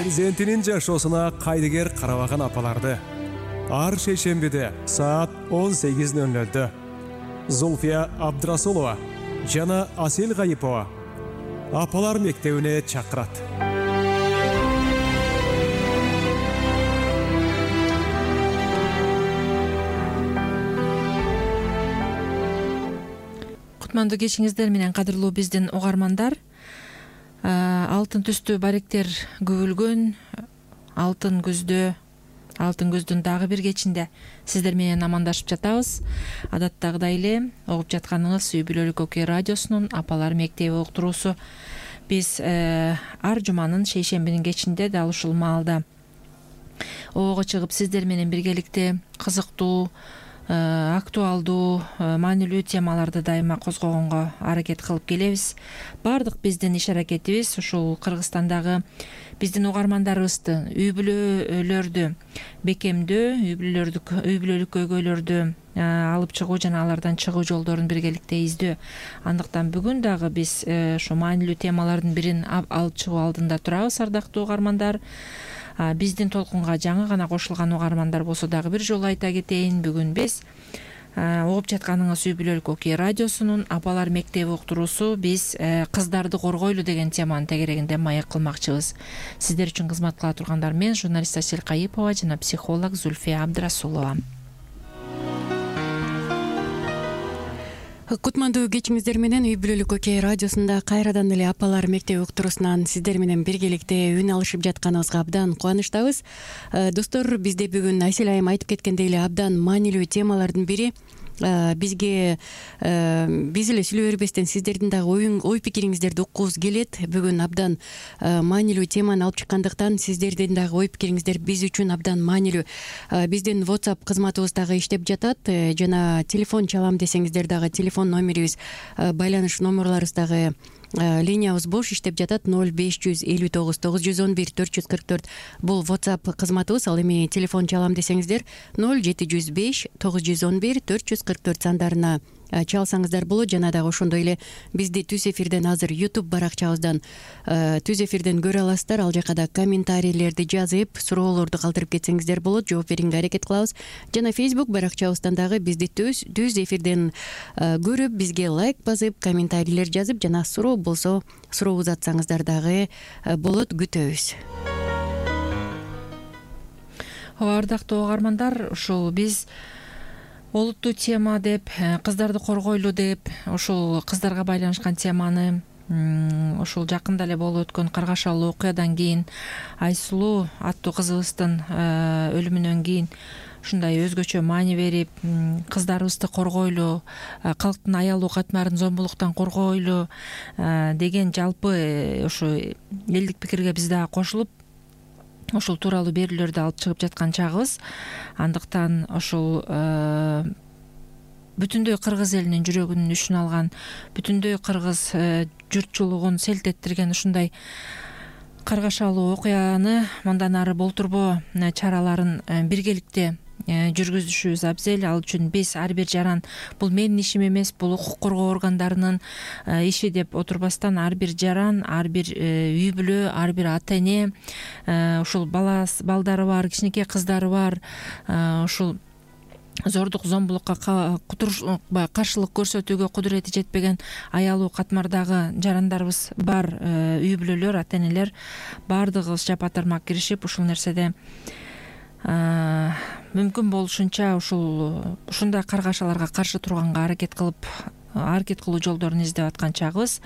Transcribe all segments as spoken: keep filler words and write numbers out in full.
перзентинин жашоосуна кайдыгер карабаган апаларды ар шейшембиде саат он сегиз ноль нольдө Зульфия Абдрасулова жана Асел Гайипова апалар мектебине чакырат. Кутмандуу кечиңиздер менен кадырлуу биздин угармандар. Алтын түстүү баректер күбүлгөн алтын күздө, алтын күздүн дагы бир кечинде сиздер менен амандашып жатабыз. Адаттагыдай эле угуп жатканыңыз Үй бүлөлүк окуя радиосунун апалар мектеби уктуруусу. Биз ар жуманын шейшембинин кечинде дал ушул маалда ого чыгып сиздер менен биргеликте кызыктуу, актуалдуу, маанилүү темаларды дайыма козгогонго аракет кылып келебиз. Бардык биздин иш аракетибиз ушул Кыргызстандагы биздин угармандарыбызды, үй бүлөлөрдү бекемдөө, үй бүлөлөрдү, үй бүлөлүк көйгөйлөрдү алып чыгуу жана алардан чыгуу жолдорун биргеликте издөө. Андыктан бүгүн дагы биз ошо маанилүү темалардын бирин алып чыгуу алдында турабыз, ардактуу угармандар. Биздин толкунга жаңы гана кошулган угармандар болсо дагы бир жолу айта кетейин. Бүгүн биз угуп жатканыңыз Үй бүлөлүк окуя радиосунун апалар мектеби уктуруусу биз кыздарды коргойлу деген теманын тегерегинде маек кылмакчыбыз. Сиздер үчүн кызмат кыла тургандар мен журналист Асел Гайипова жана психолог Зульфия Абдрасулова. Кутмандуу кечиңиздер менен Үй бүлөлүк окуя радиосунда кайрадан эле апалар мектеби уктуруусунан сиздер менен биргеликте үн алышып жатканыбызга абдан кубанычтабыз. Достор, бизде бүгүн Айсел айым айтып кеткендей эле абдан маанилүү темалардын бири. Бизге биз эле сүйлөй бербестен сиздердин дагы ой пикириңиздерди уккубуз келет. Бүгүн абдан маанилүү теманы алып чыккандыктан сиздердин дагы ой пикириңиздер биз үчүн абдан маанилүү. Биздин WhatsApp кызматыбыз дагы иштеп жатат жана телефон чалам десеңиздер дагы телефон номерибиз, байланыш номерларыбыз дагы линиябыз бош иштеп жатат. ноль беш жүз элүү тогуз тогуз жүз он бир төрт жүз кырк төрт бул WhatsApp кызматыбыз. Ал эми телефон чалам десеңиздер ноль жети жүз беш тогуз жүз он бир төрт жүз кырк төрт сандарына чалсаңыздар болот. Жана дагы ошондой эле бизди түз эфирден азыр YouTube баракчабыздан түз эфирден көрө аласыздар. Ал жака да комментарийлерди жазып, суроолорду калтырып кетсеңиздер болот, жооп берүүгө аракет кылабыз. Жана Facebook баракчабыздан дагы бизди түз түз эфирден көрүп, бизге лайк басып, комментарийлер жазып жана суроо болсо суроо узатсаңыздар дагы болот, күтөбүз. Ардактуу угармандар, ушул биз олуттуу тема деп, кыздарды коргойлу деп, ушул кыздарга байланышкан теманы ушул жакында эле болуп өткөн каргашалуу окуядан кийин, Айсулуу аттуу кызыбыздын өлүмүнөн кийин ушундай өзгөчө маани берип, кыздарыбызды коргойлу, калктын аялуу катмарын зомбулуктан коргойлу деген жалпы ушу элдик пикирге биз дагы кошулуп ушул тууралуу берүүлөрдү алып чыгып жаткан чагыбыз. Андыктан ушул бүтүндөй кыргыз элинин жүрөгүнүн үшүн алган, бүтүндөй кыргыз журтчулугун селт эттирген ушундай каргашалуу окуяны мындан ары болтурбоо чараларын биргеликте жүргүзүшүбүз абзел. Ал үчүн биз ар бир жаран, бул менин ишим эмес, бул укук коргоо органдарынын иши деп отурбастан, ар бир жаран, ар бир үй бүлө, ар бир ата эне, ушул бала балдары бар, кичинекей кыздары бар, ушул зордук зомбулукка каршылык көрсөтүүгө кудурети жетпеген аялуу катмардагы жарандарыбыз бар, үй бүлөлөр, ата энелер баардыгыбыз жапа-тармак киришип ушул нерседе мүмкүн болушунча ушул ушундай каргашаларга каршы турганга аракет кылып, аракет кылуу жолдорун издеп аткан чагыбыз.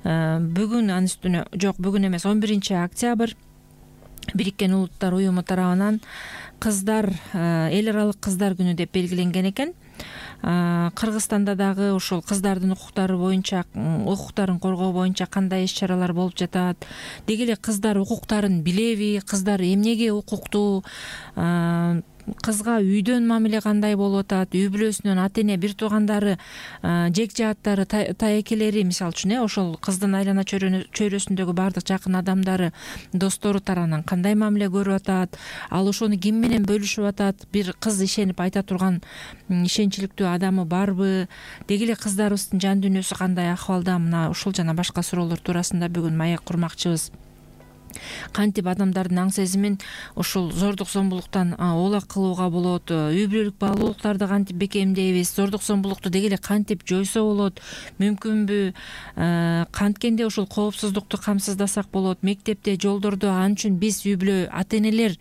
Бүгүн анын үстүнө, жок, бүгүн эмес, он биринчи октябрь Бириккен Улуттар уюму тарабынан кыздар, эл аралык кыздар күнү деп белгиленген экен. Кыргызстанда дагы ушул кыздардын укуктары боюнча, укуктарын коргоо боюнча кандай иш-чаралар болуп жатат? Деги эле кыздар укуктарын билеби? Кыздар эмнеге укуктуу? Кызга үйдөн мамиле кандай болуп атат? Үй бүлөсүнөн ата эне, бир туугандары, жек жааттары, таекелери, мисалы үчүн, ошол кыздын айлана чөйрөсүндөгү баардык жакын адамдары, достору тарабынан кандай мамиле көрүп атат? Ал ошону ким менен бөлүшүп атат? Бир кыз ишенип айта турган ишенчиликтүү адамы барбы? Деги эле кыздарыбыздын жан дүйнөсү кандай акыбалда? Мына ушул жана башка суроолор туурасында бүгүн маек курмакчыбыз. кантип адамдардын аң сезимин ушул зордук зомбулуктан оолак кылууга болот, үй бүлөлүк баалуулуктарды кантип бекемдейбиз, зордук зомбулукту деги эле кантип жойсо болот, мүмкүнбү, канткенде ушул коопсуздукту камсыздасак болот, мектепте, жолдордо. Ал үчүн биз үй бүлө ата энелер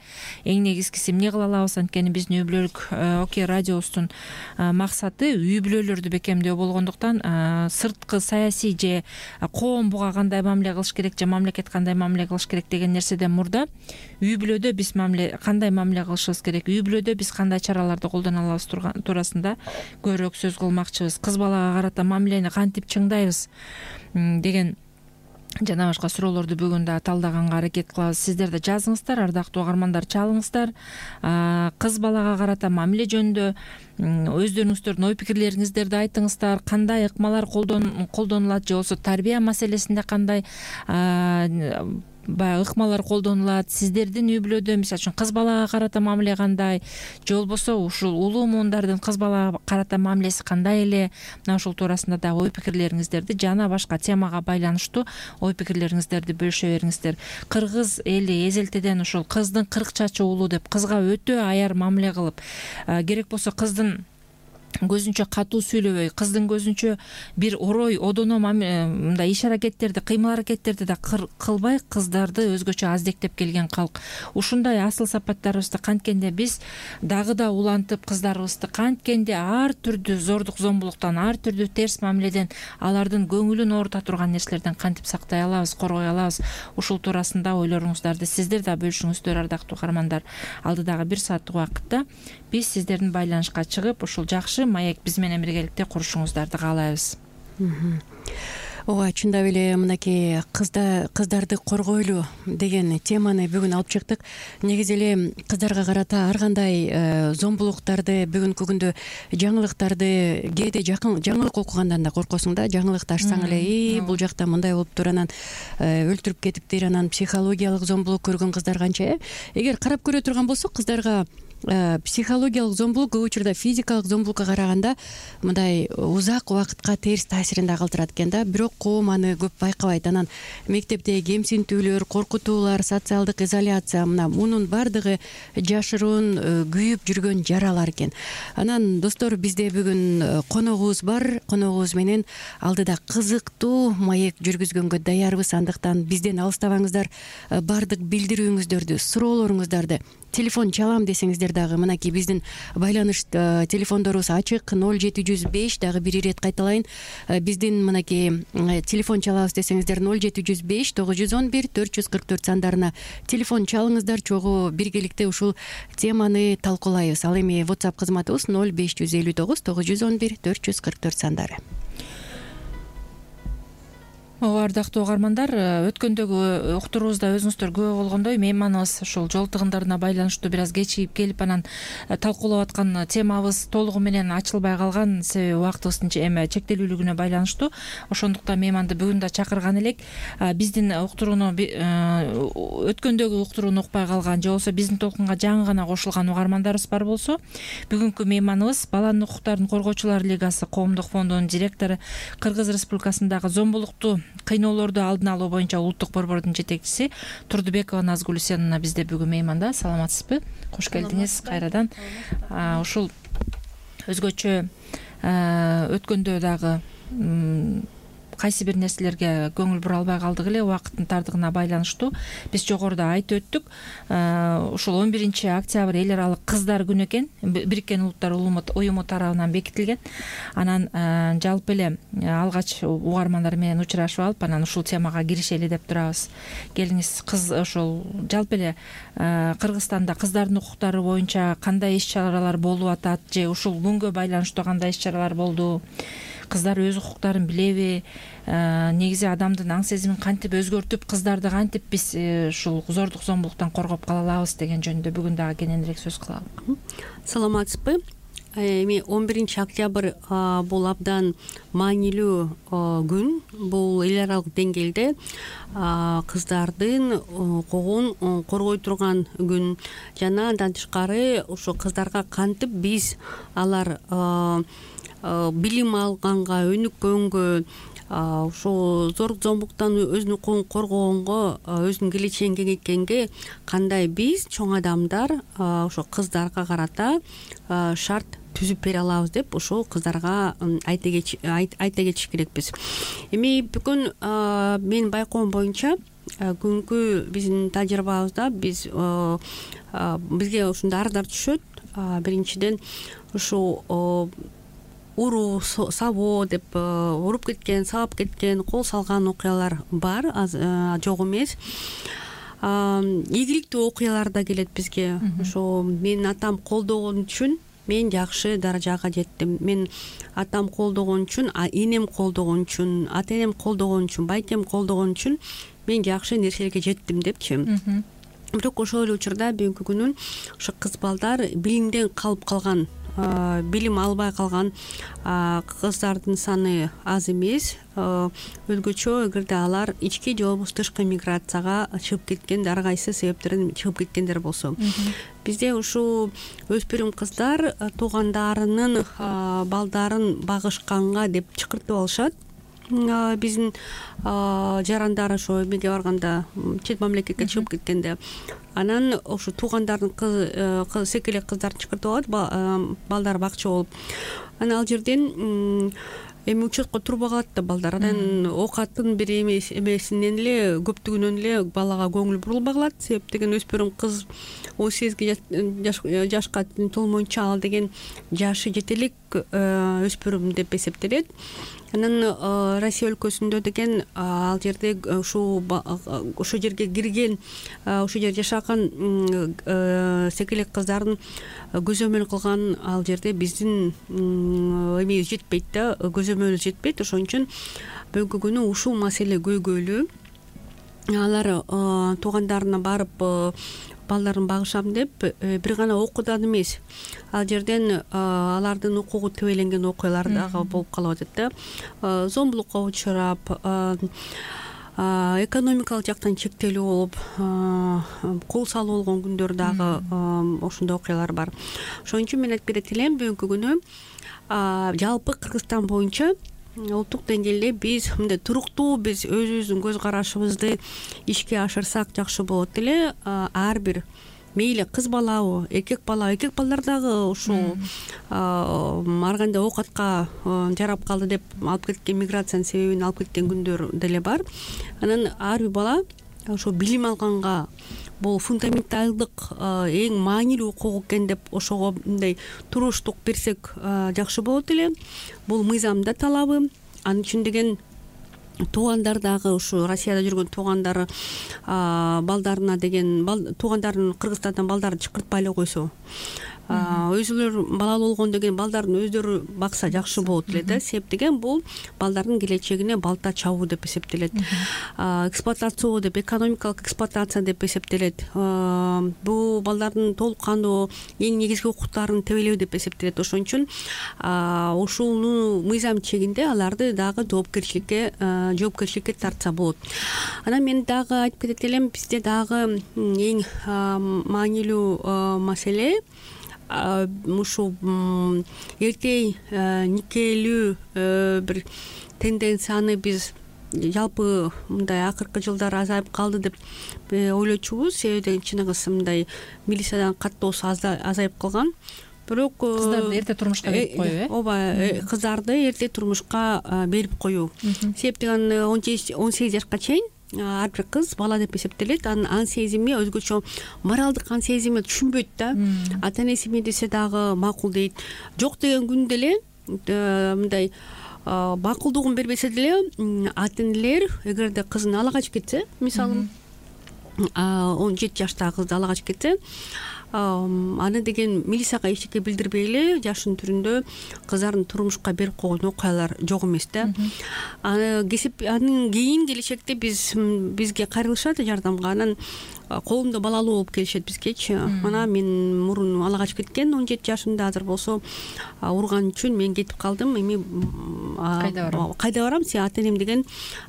эң негизгиси эмне кыла алабыз? Анткени биздин үй бүлөлүк Окей радиосунун максаты үй бүлөлөрдү бекемдөө болгондуктан сырткы саясий же коом буга кандай мамиле кылыш керек же мамлекет кандай мамиле кылыш керек деген нерседен мурда үй бүлөдө биз мамиле кандай мамиле кылышыбыз керек, үй бүлөдө биз кандай чараларды колдоно алабыз туурасында көбүрөөк сөз кылмакчыбыз. Кыз балага карата мамилени кантип чыңдайбыз деген жана башка суроолорду бүгүн да талдаганга аракет кылабыз. Сиздер да жазыңыздар, ардактуу угармандар, чалыңыздар. Кыз балага карата мамиле жөнүндө өздөрүңүздөрдүн ой пикирлериңиздерди айтыңыздар. Кандай ыкмалар колдонулат же болбосо тарбия маселесинде кандай баягы ыкмалар колдонулат? Сиздердин үй бүлөдө мисалы үчүн кыз балага карата мамиле кандай, же болбосо ушул улуу муундардын кыз балага карата мамилеси кандай эле? Мына ушул туурасында дагы ой пикирлериңиздерди жана башка темага байланыштуу ой пикирлериңиздерди бөлүшө бериңиздер. Кыргыз эли эзелтеден ушул кыздын кырк чачы уулу деп кызга өтө аяр мамиле кылып, керек болсо кыздын көзүнчө катуу сүйлөбөй, кыздын көзүнчө бир орой одоно мындай иш аракеттерди, кыймыл аракеттерди да кылбай кыздарды өзгөчө аздектеп келген калк. Ушундай асыл сапаттарыбызды канткенде биз дагы да улантып, кыздарыбызды канткенде ар түрдүү зордук зомбулуктан, ар түрдүү терс мамиледен, алардын көңүлүн оорута турган нерселерден кантип сактай алабыз, коргой алабыз? Ушул туурасында ойлоруңуздарды сиздер да бөлүшүңүздөр, ардактуу каармандар. Алдыдагы бир сааттык убакытта биз сиздердин байланышка чыгып, ушул жакшы маек биз менен биргеликте курушуңуздарды каалайбыз. ооба, чындап эле мынакей кызда кыздарды коргойлу деген теманы бүгүн алып чыктык. Негизи эле кыздарга карата ар кандай зомбулуктарды, бүгүнкү күндө жаңылыктарды, кээде жакын жаңылык окугандан да коркосуң да, жаңылыкты ачсаң эле и бул жакта мындай болуптур, анан өлтүрүп кетиптир, анан психологиялык зомбулук көргөн кыздар канча э эгер карап көрө турган болсок, кыздарга психологиялык зомбулук көп учурда физикалык зомбулукка караганда мындай узак убакытка терс таасирин да калтырат экен да. Бирок коом аны көп байкабайт. Анан мектепте кемсинтүүлөр, коркутуулар, социалдык изоляция, мына мунун баардыгы жашыруун күйүп жүргөн жаралар экен. Анан достор, бизде бүгүн коногубуз бар. Коногубуз менен алдыда кызыктуу маек жүргүзгөнгө даярбыз. Андыктан бизден алыстабаңыздар. Баардык билдирүүңүздөрдү, суроолоруңуздарды телефон чалам десеңиздер дагы мынакей биздин байланыш телефондорубуз ачык. ноль жети жүз беш, дагы бир ирет кайталайын. Биздин мынакей телефон чалабыз десеңиздер ноль жети жүз беш тогуз жүз он бир төрт жүз кырк төрт сандарына телефон чалыңыздар. Чогуу биргеликте ушул теманы талкуулайбыз. Ал эми WhatsApp кызматыбыз ноль беш жүз элүү тогуз тогуз жүз он бир төрт жүз кырк төрт сандары. Ооба, ардактуу угармандар, өткөндөгү уктуруубузда өзүңүздөр күбө болгондой, мейманыбыз ушул жол тыгындарына байланыштуу бир аз кечигип келип, анан талкуулап аткан темабыз толугу менен ачылбай калган, себеби убактыбыздын эме чектелүүлүгүнө байланыштуу. Ошондуктан мейманды бүгүн да чакырган элек. Биздин уктурууну, өткөндөгү уктурууну укпай калган же болбосо биздин толкунга жаңы гана кошулган угармандарыбыз бар болсо, бүгүнкү мейманыбыз Баланын укуктарын коргоочулар лигасы коомдук фондунун директору, Кыргыз Республикасындагы зомбулукту, кыйноолорду алдын алуу боюнча улуттук борбордун жетекчиси Турдубекова Назгүл Үсеновна бизде бүгүн мейманда. Саламатсызбы? Кош келдиңиз кайрадан. Ушул өзгөчө өткөндө дагы кайсы бир нерселерге көңүл бура албай калдык эле, убакыттын тардыгына байланыштуу. Биз жогоруда айтып өттүк. Ушул он биринчи октябрь эл аралык кыздар күнү экен. Бириккен Улуттар уюму тарабынан бекитилген. Анан жалпы эле алгач угармандар менен учурашып алып, анан ушул темага киришели деп турабыз. Келиңиз, кыз ошол жалпы эле Кыргызстанда кыздардын укуктары боюнча кандай иш-чаралар болуп атат, же ушул күнгө байланыштуу кандай иш-чаралар болду? Кыздар өз укуктарын билеби? Негизи адамдын аң сезимин кантип өзгөртүп, кыздарды кантип биз ушул зордук зомбулуктан коргоп кала алабыз деген жөнүндө бүгүн дагы кененирээк сөз кылалы. Саламатсызбы? Эми он биринчи октябрь бул абдан маанилүү күн. Бул эл аралык деңгээлде кыздардын укугун коргой турган күн. Жана андан тышкары ошо кыздарга кантип биз алар билим алганга, өнүккөнгө, ушул зорлук зомбуктан өзүнүн укугун коргогонго, өзүнүн келечегин кеңейткенге кандай биз чоң адамдар ошо кыздарга карата шарт түзүп бере алабыз деп ушул кыздарга айта кетиш керекпиз. Эми бүгүн менин байкоом боюнча бүгүнкү биздин тажрыйбабызда биз бизге ушундай арыздар түшөт. Биринчиден ушул уруу сабоо деп уруп кеткен, сабап кеткен, кол салган окуялар бар, жок эмес. Ийгиликтүү окуялар да келет бизге. Ошо менин атам колдогон үчүн мен жакшы даражага жеттим, мен атам колдогон үчүн, энем колдогон үчүн, ата энем колдогон үчүн, байкем колдогон үчүн мен жакшы нерселерге жеттим депчи. Бирок ошол эле учурда бүгүнкү күнүн ошо кыз балдар билимден калып калган, билим албай калган кыздардын саны аз эмес. Өзгөчө эгерде алар ички же болбосо тышкы миграцияга чыгып кеткен, ар кайсы себептерден чыгып кеткендер болсо. Бизде ушул өспүрүм кыздар туугандарынын балдарын багышканга деп чакыртып алышат. Биздин жарандар ошо эмеге барганда, чет мамлекетке чыгып кеткенде, анан ошо туугандардын кыз секелек кыздарын чакыртып алат балдар бакчы болуп. Анан ал жерден эми учетко турбай калат да балдар. Анан оокаттын бир эмесинен эле, көптүгүнөн эле балага көңүл бурулбай калат. Себеп деген өспүрүм кыз он сегизге жашка толмойнча ал деген жашы жете элек өспүрүм деп эсептелет. Анан Россия өлкөсүндө деген ал жерде ушул ошол жерге кирген, ошол жерде жашаган секелек кыздардын көзөмөл кылган ал жерде биздин эмебиз жетпейт да, көзөмөлүбүз жетпейт. Ошон үчүн бүгүнкү күнү ушул маселе көйгөйлүү. Алар туугандарына барып балдарын багышам деп бир гана окуудан эмес, ал жерден алардын укугу тебеленген окуялар дагы болуп калып атат да. Зомбулукка учурап, экономикалык жактан чектелүү болуп, кол салуу болгон күндөр дагы ошондой окуялар бар. Ошон үчүн мен айтып берет элем, бүгүнкү күнү жалпы Кыргызстан боюнча улуттук деңгээлде биз мындай туруктуу биз өзүбүздүн көз карашыбызды ишке ашырсак жакшы болот эле. Ар бир мейли кыз балабы, эркек бала, эркек балдар дагы ушул ар кандай оокатка жарап калды деп алып кеткен, миграциянын себебин алып кеткен күндөр деле бар. Анан ар бир бала ошо билим алганга, бул фундаменталдык эң маанилүү укук экен деп ошого мындай туруштук берсек жакшы болот эле. Бул мыйзамда талабы. Анын үчүн деген туугандар дагы ушу Россияда жүргөн туугандары балдарына деген туугандарын Кыргызстандан балдарын чакыртпай эле койсо, өзүлөр балалуу болгон деген балдарын өздөрү бакса жакшы болот эле да. Себеп деген бул балдардын келечегине балта чабуу деп эсептелет. Эксплуатация деп, экономикалык эксплуатация деп эсептелет. Бул балдардын толук кандуу эң негизги укуктарын тебелөө деп эсептелет. Ошон үчүн ушуну мыйзам чегинде аларды дагы жоопкерчиликке жоопкерчиликке тартса болот. Анан мен дагы айтып кетет элем, бизде дагы эң маанилүү маселе ушул эрте никелүү бир тенденцияны биз жалпы мындай акыркы жылдары азайып калды деп ойлочубуз. Себеби чыныгысы мындай милициядан каттоосу азайып калган. Бирок кыздарды эрте турмушка берип коюу, э? Ооба, кыздарды эрте турмушка берип коюу. Себеп деген он сегиз жашка чейин ар бир кыз бала деп эсептелет. Анын ан сезими өзгөчө моралдык ан сезими түшүнбөйт да. Ата энеси эмне десе дагы макул дейт. Жок деген күндө эле мындай макулдугун бербесе деле ата энелер эгерде кызын ала качып кетсе, мисалы он жети жаштагы кызды ала качып кетсе, аны деген милицияга эчтеке билдирбей эле жашын түрүндө кыздарын турмушка берип койгон окуялар жок эмес да. Аны кесип анын кийин келечекте биз бизге кайрылышат жардамга. Анан колунда балалуу болуп келишет бизгечи. Мына мен мурун ала качып кеткен он жети жашымда, азыр болсо урган үчүн мен кетип калдым. Эми кайда барам кайда барам сен ата энем деген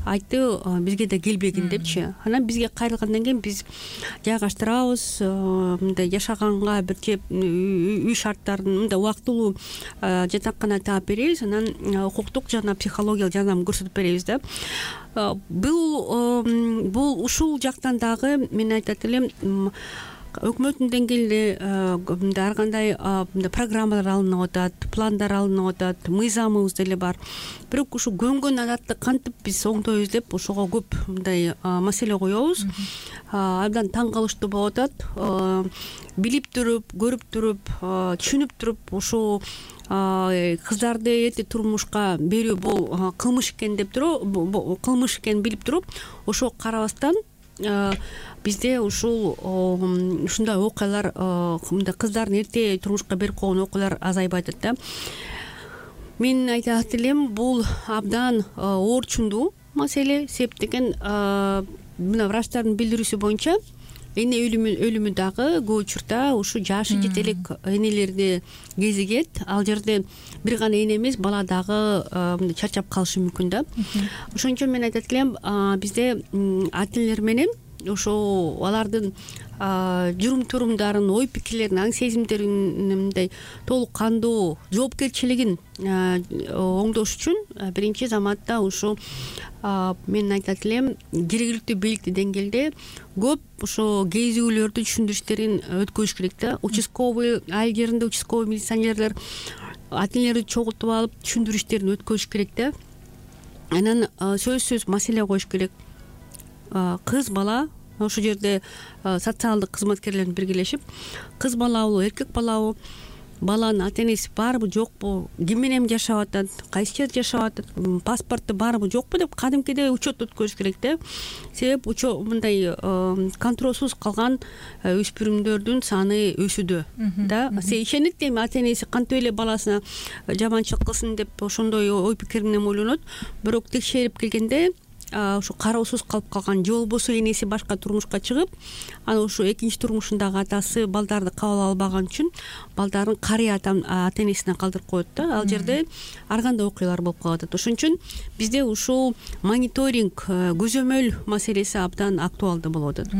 айтты, бизге да келбегин депчи. Анан бизге кайрылгандан кийин биз жайгаштырабыз, мындай жашаганга бир жеп үй шарттарын мындай убактылуу жатакана таап беребиз, анан укуктук жана психологиялык жардам көрсөтүп беребиз да. Бул бул ушул жактан дагы мен айтат элем, өкмөттүн деңгээлинде мындай ар кандай программалар алынып атат, пландар алынып атат, мыйзамыбыз деле бар. Бирок ушу көнгөн адатты кантип биз оңдойбуз деп ошого көп мындай маселе коебуз. Абдан таң калыштуу болуп атат. Билип туруп, көрүп туруп, түшүнүп туруп ушу кыздарды эрте турмушка берүү бул кылмыш экен деп туруп, кылмыш экенин билип туруп, ошого карабастан бизде ушул ушундай окуялар, мындай кыздарын эрте турмушка берип койгон окуялар азайбай атат да. Мен айтат элем, бул абдан оорчундуу маселе. Себеп деген мына врачтардын билдирүүсү боюнча эне өлүмү дагы көп учурда ушу жашы жете элек энелерди кезигет. Ал жерде бир гана эне эмес, бала дагы мындай чарчап калышы мүмкүн да. Ошон үчүн мен айтат элем, бизде ата энелер менен ошо алардын журум турумдарын, ой пикирлерин, аң сезимдерин мындай толук кандуу жоопкерчилигин оңдош үчүн биринчи заматта ушу мен айтат элем, жергиликтүү бийликтүү деңгээлде көп ошо кезүүлөрдү түшүндүрүштерин өткөзүш керек да. Участковый айыл жеринде участковый милиционерлер ата энелерди чогултуп алып түшүндүрүштерин өткөзүш керек да. Анан сөзсүз маселе коюш керек. Кыз бала ошол жерде социалдык кызматкерлер биргелешип, кыз балабы, эркек балабы, баланын ата энеси барбы жокпу, ким менен жашап атат, кайсы жерде жашап атат, паспорту барбы жокпу деп кадимкидей учет өткөзүш керек да. Себеп мындай контролсуз калган өспүрүмдөрдүн саны өсүүдө да. Се ишенет эми ата энеси кантип эле баласына жаманчылык кылсын деп ошондой ой пикир менен ойлонот. Бирок текшерип келгенде ушу кароосуз калып калган, же болбосо энеси башка турмушка чыгып, анан ушу экинчи турмушундагы атасы балдарды кабыл албаган үчүн балдарын карыя ата энесине калтырып коет да. Ал жерде ар кандай окуялар болуп калып атат. Ошон үчүн бизде ушул мониторинг, көзөмөл маселеси абдан актуалдуу болуп атат.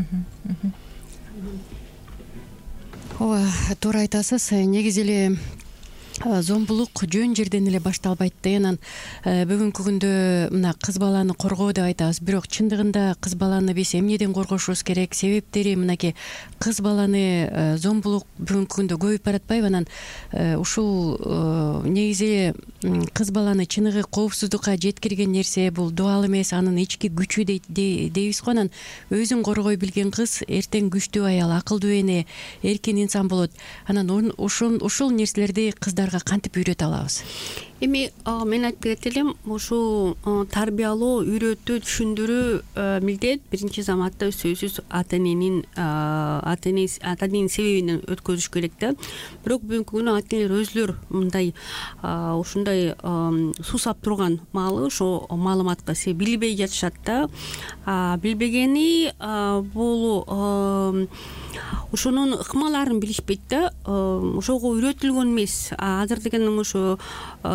Ооба, туура айтасыз. Негизи эле зомбулук жөн жерден эле башталбайт да. Анан бүгүнкү күндө мына кыз баланы коргоо деп айтабыз, бирок чындыгында кыз баланы биз эмнеден коргошубуз керек? Себептери мынакей кыз баланы зомбулук бүгүнкү күндө көбөйүп баратпайбы? Анан ушул негизи кыз баланы чыныгы коопсуздукка жеткирген нерсе бул дубал эмес, анын ички күчү дейбиз го. Анан өзүн коргой билген кыз эртең күчтүү аял, акылдуу эне, эркин инсан болот. Анан ушул ушул нерселерди кыздар кантип үйрөтө алабыз? Эми мен айтып кетет элем, ушу тарбиялоо, үйрөтүү, түшүндүрүү милдет биринчи заматта сөзсүз ата эненин ата энеси ата эненин себебинен өткөзүш керек да. Бирок бүгүнкү күнү ата энелер өзүлөр мындай ушундай суусап турган маалы ошо маалыматка се билбей жатышат да. Билбегени бул ошонун ыкмаларын билишпейт да. Ошого үйрөтүлгөн эмес. Азыр деген ошо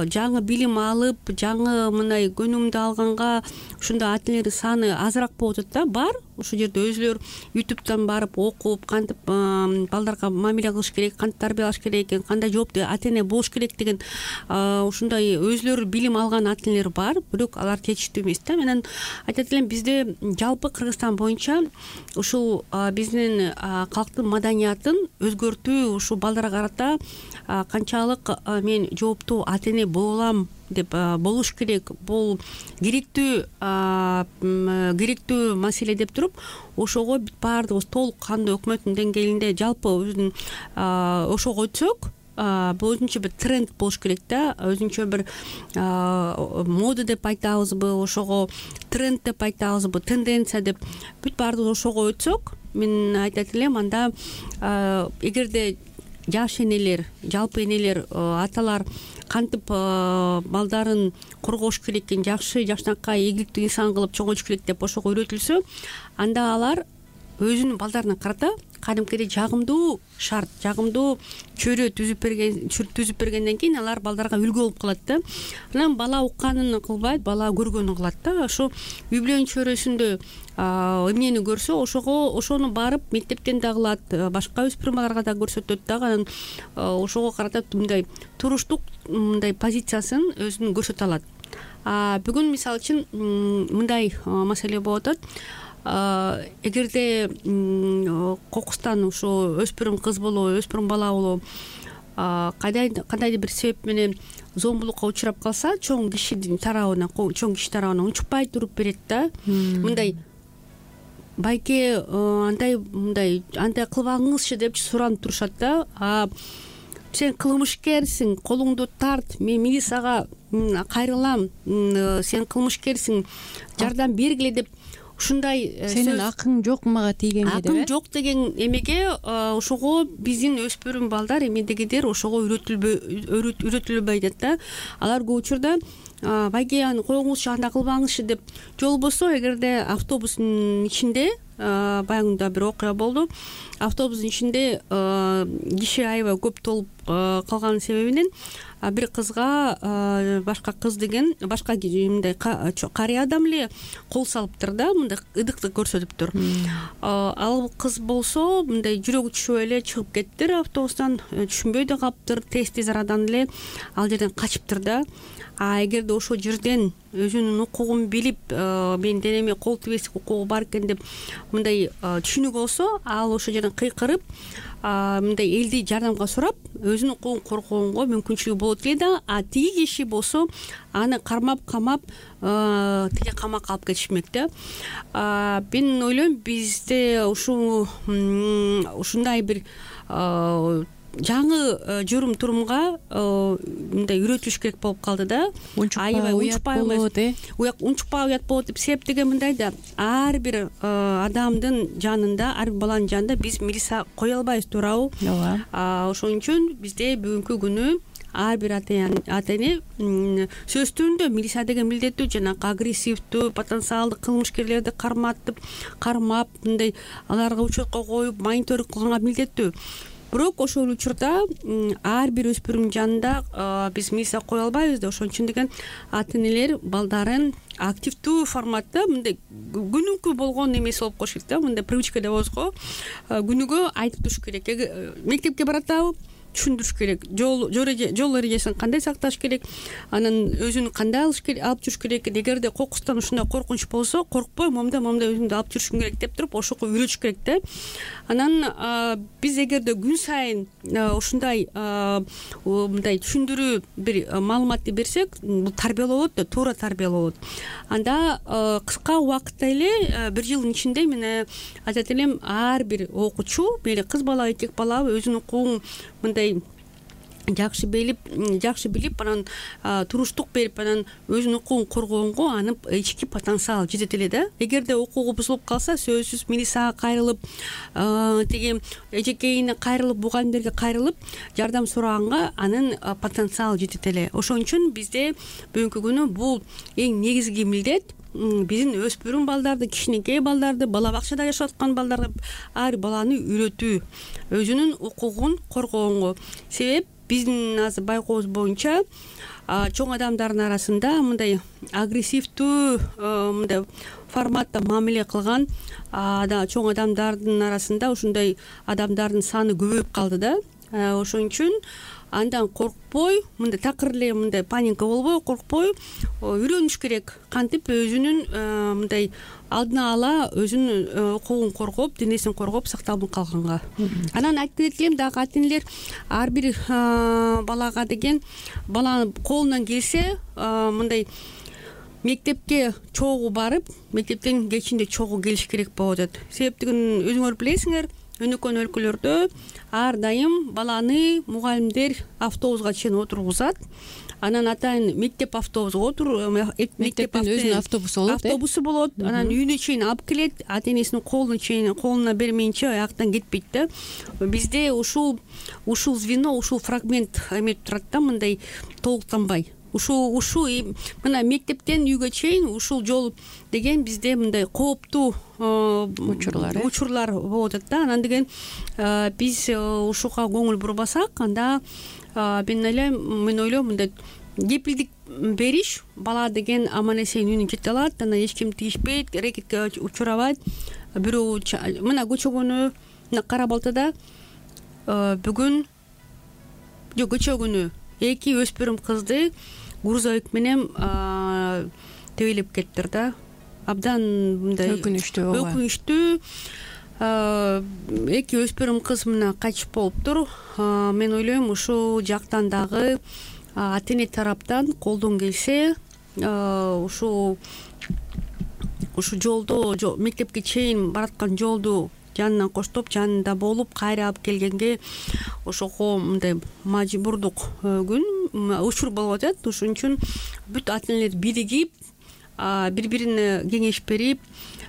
жаңы билим алып, жаңы мындай көнүмдү алганга ушундай ата энелердин саны азыраак болуп атат да. Бар ошол жерде өзүлөр ютубтан барып окуп, кантип балдарга мамиле кылыш керек, кантип тарбиялаш керек экен, кандай жооптуу ата эне болуш керек деген ушундай өзүлөрү билим алган ата энелер бар, бирок алар жетиштүү эмес да. Менен айтат элем, бизде жалпы Кыргызстан боюнча ушул биздин калктын маданиятын өзгөртүү, ушул балдарга карата канчалык мен жооптуу ата эне боло алам деп болуш керек, бул керектүү керектүү маселе деп туруп, ошого бүт баардыгыбыз толук кандуу өкмөттүн деңгээлинде жалпы өзүн ошого өтсөк, бул өзүнчө бир тренд болуш керек да. Өзүнчө бир мода деп айтабызбы, ошого тренд деп айтабызбы, тенденция деп бүт баардыгыбыз ошого өтсөк, мен айтат элем, анда эгерде жаш энелер, жалпы энелер, аталар кантип балдарын коргош керек экен, жакшы жакшынакай ийгиликтүү инсан кылып чоңойтуш керек деп ошого үйрөтүлсө, анда алар өзүнүн балдарына карата кадимкидей жагымдуу шарт, жагымдуу чөйрө түзүп берген түзүп бергенден кийин алар балдарга үлгү болуп калат да. Анан бала укканын кылбайт, бала көргөнүн кылат да. Ошо үй бүлөнүн чөйрөсүндө эмнени көрсө, ошого ошону барып мектептен да кылат, башка өспүрүм балдарга да көрсөтөт дагы. Анан ошого карата мындай туруштук мындай позициясын өзүн көрсөтө алат. Бүгүн мисалы үчүн мындай маселе болуп атат. Эгерде кокустан ошо өспүрүм кыз болобу, өспүрүм бала болобу кандайдыр бир себеп менен зомбулукка учурап калса, чоң кишинин тарабына, чоң киши тарабына унчукпай туруп берет да. Мындай байке андай мындай андай кылбаңызчы деп суранып турушат да. Сен кылмышкерсиң, колуңду тарт, мен милицияга кайрылам, сен кылмышкерсиң, жардам бергиле деп ушундай сенин акың жок мага тийгенге деп. Акың жок деген эмеге ошого биздин өспүрүм балдар эмедегидер ошого үйрөтүлбөй атат да. Алар көп учурда байке аны коюңузчу, андай кылбаңызчы деп. Жолбосо эгерде автобустун ичинде баягында бир окуя болду. Автобустун ичинде киши аябай көп толуп калган себебинен бир кызга башка кыз деген башка мындай карый адам эле кол салыптыр да, мындай ыдыкты көрсөтүптүр. Ал кыз болсо мындай жүрөгү түшүп эле чыгып кеттир автобустан, түшүнбөй да калыптыр, тез-тез арадан эле ал жерден качыптыр да. А эгерде ошол жерден өзүнүн укугун билип, менин денеме кол тийбестик укугу бар экен деп мындай түшүнүк болсо, ал ошол жерден кыйкырып, мындай элди жардамга сурап, өзүнүн укугун коргоонго мүмкүнчүлүгү болот эле да. А тиги киши болсо аны кармап камап тиги камакка алып кетишмек да. Мен ойлойм, бизде ушул ушундай бир жаңы журум турумга мындай үйрөтүлүш керек болуп калды да. Аябай унчукпай болот, э? Унчукпай уят болот деп. Себеп деген мындай да, ар бир адамдын жанында, ар бир баланын жанында биз милиция кое албайбыз, туурабы? Ооба. Ошон үчүн бизде бүгүнкү күнү ар бир ата эне сөз түрүндө милиция деген милдеттүү, жанагы агрессивдүү, потенциалдык кылмышкерлерди карматып, кармап, мындай аларга учетко коюп, мониторинг кылганга милдеттүү. Бирок ошол учурда ар бир өспүрүмдүн жанында биз милиция кое албайбыз да. Ошон үчүн деген ата энелер балдарын активдүү форматта, мындай күнүгө болгон эмеси болуп коюш керек да, мындай привычка деп коебуз го. Күнүгө айтып туруш керек. Мектепке баратабы, түшүндүрүш керек. Жол жол эрежесин кандай сакташ керек, анан өзүн кандай алып жүрүш керек. Эгерде кокустан ушундай коркунуч болсо, коркпой, момда момда өзүңдү алып жүрүшүң керек деп туруп, ошого үйрөтүш керек да. Анан биз эгерде күн сайын ушундай мындай түшүндүрүү бир маалыматты берсек, бул тарбиялоо болот да, туура тарбиялоо болот. Анда кыска убакытта эле, бир жылдын ичинде мен айтат элем, ар бир окуучу, мейли кыз бала, эркек бала өзүнүн укугун мындай жакшы билип, жакшы билип, анан туруштук берип, анан өзүнүн укугун коргоонго анын ички потенциалы жетет эле да. Эгерде укугу бузулуп калса, сөзсүз милицияга кайрылып, тиги эжекейине кайрылып, мугалимдерге кайрылып, жардам сураганга анын потенциалы жетет эле. Ошон үчүн бизде бүгүнкү күнү бул эң негизги милдет. Биздин өспүрүм балдарды, кичинекей балдарды, бала бакчада жашап аткан балдарга ар баланы үйрөтүү, өзүнүн укугун коргоонго. Себеп биздин азыр байкообуз боюнча чоң адамдардын арасында мындай агрессивдүү мындай форматта мамиле кылган чоң адамдардын арасында ушундай адамдардын саны көбөйүп калды да. Ошон үчүн андан коркпой, мындай такыр эле мындай паника болбой, коркпой үйрөнүш керек. Кантип өзүнүн мындай алдына ала өзүнүн укугун коргоп, денесин коргоп сакталып калганга. Анан айтып кетелем дагы, ата энелер ар бир балага деген, баланын колунан келсе мындай мектепке чогуу барып, мектептен кечинде чогуу келиш керек болуп атат. Себептигин өзүңөр билесиңер, өнөкөн өлкөлөрдө ар дайым баланы мугалимдер автобуска чейин отургузат. Анан атайын мектеп автобусу отур, мектептин өзүнүн автобусу болот. Автобусу болот. Анан үйүнө чейин алып келет, ата энесинин колуна чейин, колуна бермейинче аяктан кетпейт да. Бизде ушул ушул звено, ушул фрагмент эметип турат да, мындай толуктанбай. ушул ушул мына мектептен үйгө чейин ушул жол деген бизде мындай кооптуу учурлар учурлар болуп атат да. Анан деген биз ушуга көңүл бурбасак, анда мен ойлойм мен ойлойм мындай кепилдик бериш, бала деген аман эсен үйүнө жете алат, анан эч ким тийишпейт, рекетке учурабайт. Бирөө мына көчөгөнү, мына Кара Балтада бүгүн жок көчө күнү эки өспүрүм кызды грузовик менен тебелеп кетиптир да. Абдан мындай өкүнүчтүү өкүнүчтүү эки өспүрүм кыз мына качып болуптур. Мен ойлойм ушул жактан дагы ата эне тараптан колдон келсе, ушул ушул жолдо мектепке чейин бараткан жолду жанынан коштоп, жанында болуп, кайра алып келгенге ошого мындай мажбурдук күн учур болуп атат. Ошон үчүн бүт ата энелер биригип, бири-бирине кеңеш берип,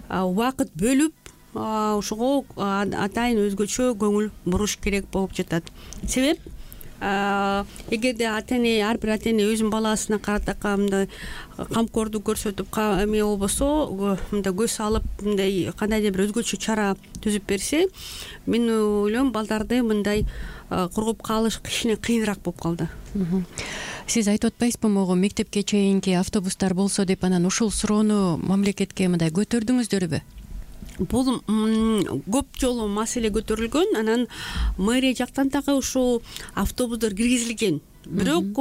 убакыт бөлүп, ошого атайын өзгөчө көңүл буруш керек болуп жатат. Себеп эгерде ата эне, ар бир ата эне өзүнүн баласына карата мындай камкордук көрсөтүп, эме болбосо, мындай көз салып, мындай кандайдыр бир өзгөчө чара түзүп берсе, мен ойлойм балдарды мындай коргоп калыш кичине кыйыныраак болуп калды. Сиз айтып атпайсызбы, могу мектепке чейинки автобустар болсо деп, анан ушул суроону мамлекетке мындай көтөрдүңүздөрбү? Бул көп жолу маселе көтөрүлгөн, анан мэрия жактан дагы ушул автобустар киргизилген. Бирок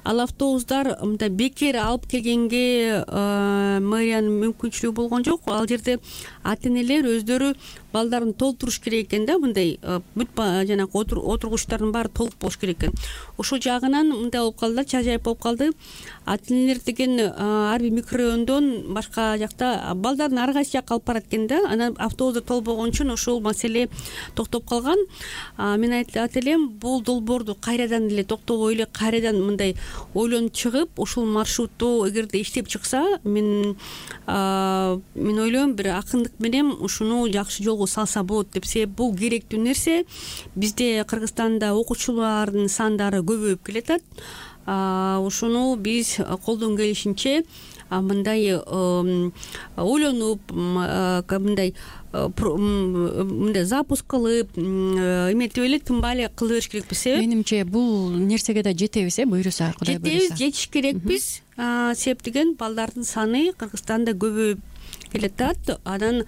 ал автобустар мындай бекер алып келгенге мэриянын мүмкүнчүлүгү болгон жок. Ал жерде ата энелер өздөрү балдарын толтуруш керек экен да, мындай бүт жанагы отургучтардын баары толук болуш керек экен. Ошол жагынан мындай болуп калды, чажайып болуп калды. Ата энелер деген ар бир микрорайондон башка жакта балдарын ар кайсы жакка алып барат экен да. Анан автобустар толбогон үчүн ошол маселе токтоп калган. Мен айтат элем, бул долбоорду кайрадан эле токтобой эле, кайрадан мындай ойлонуп чыгып, ушул маршрутту эгерде иштеп чыкса, мен мен ойлойм бир акындык менен ушуну жакшы жолго салса болот деп. Себеп бул керектүү нерсе. Бизде Кыргызстанда окуучулардын сандары көбөйүп келатат. Ушуну биз колдон келишинче мындай ойлонуп, мындай мындай запуск кылып, эметип эле тынбай эле кыла бериш керекпиз. Себеп менимче бул нерсеге да жетебиз, э, буйруса, Кудай буйруса. Жетебиз, жетиш керекпиз. Себеп деген балдардын саны Кыргызстанда көбөйүп келатат. Анан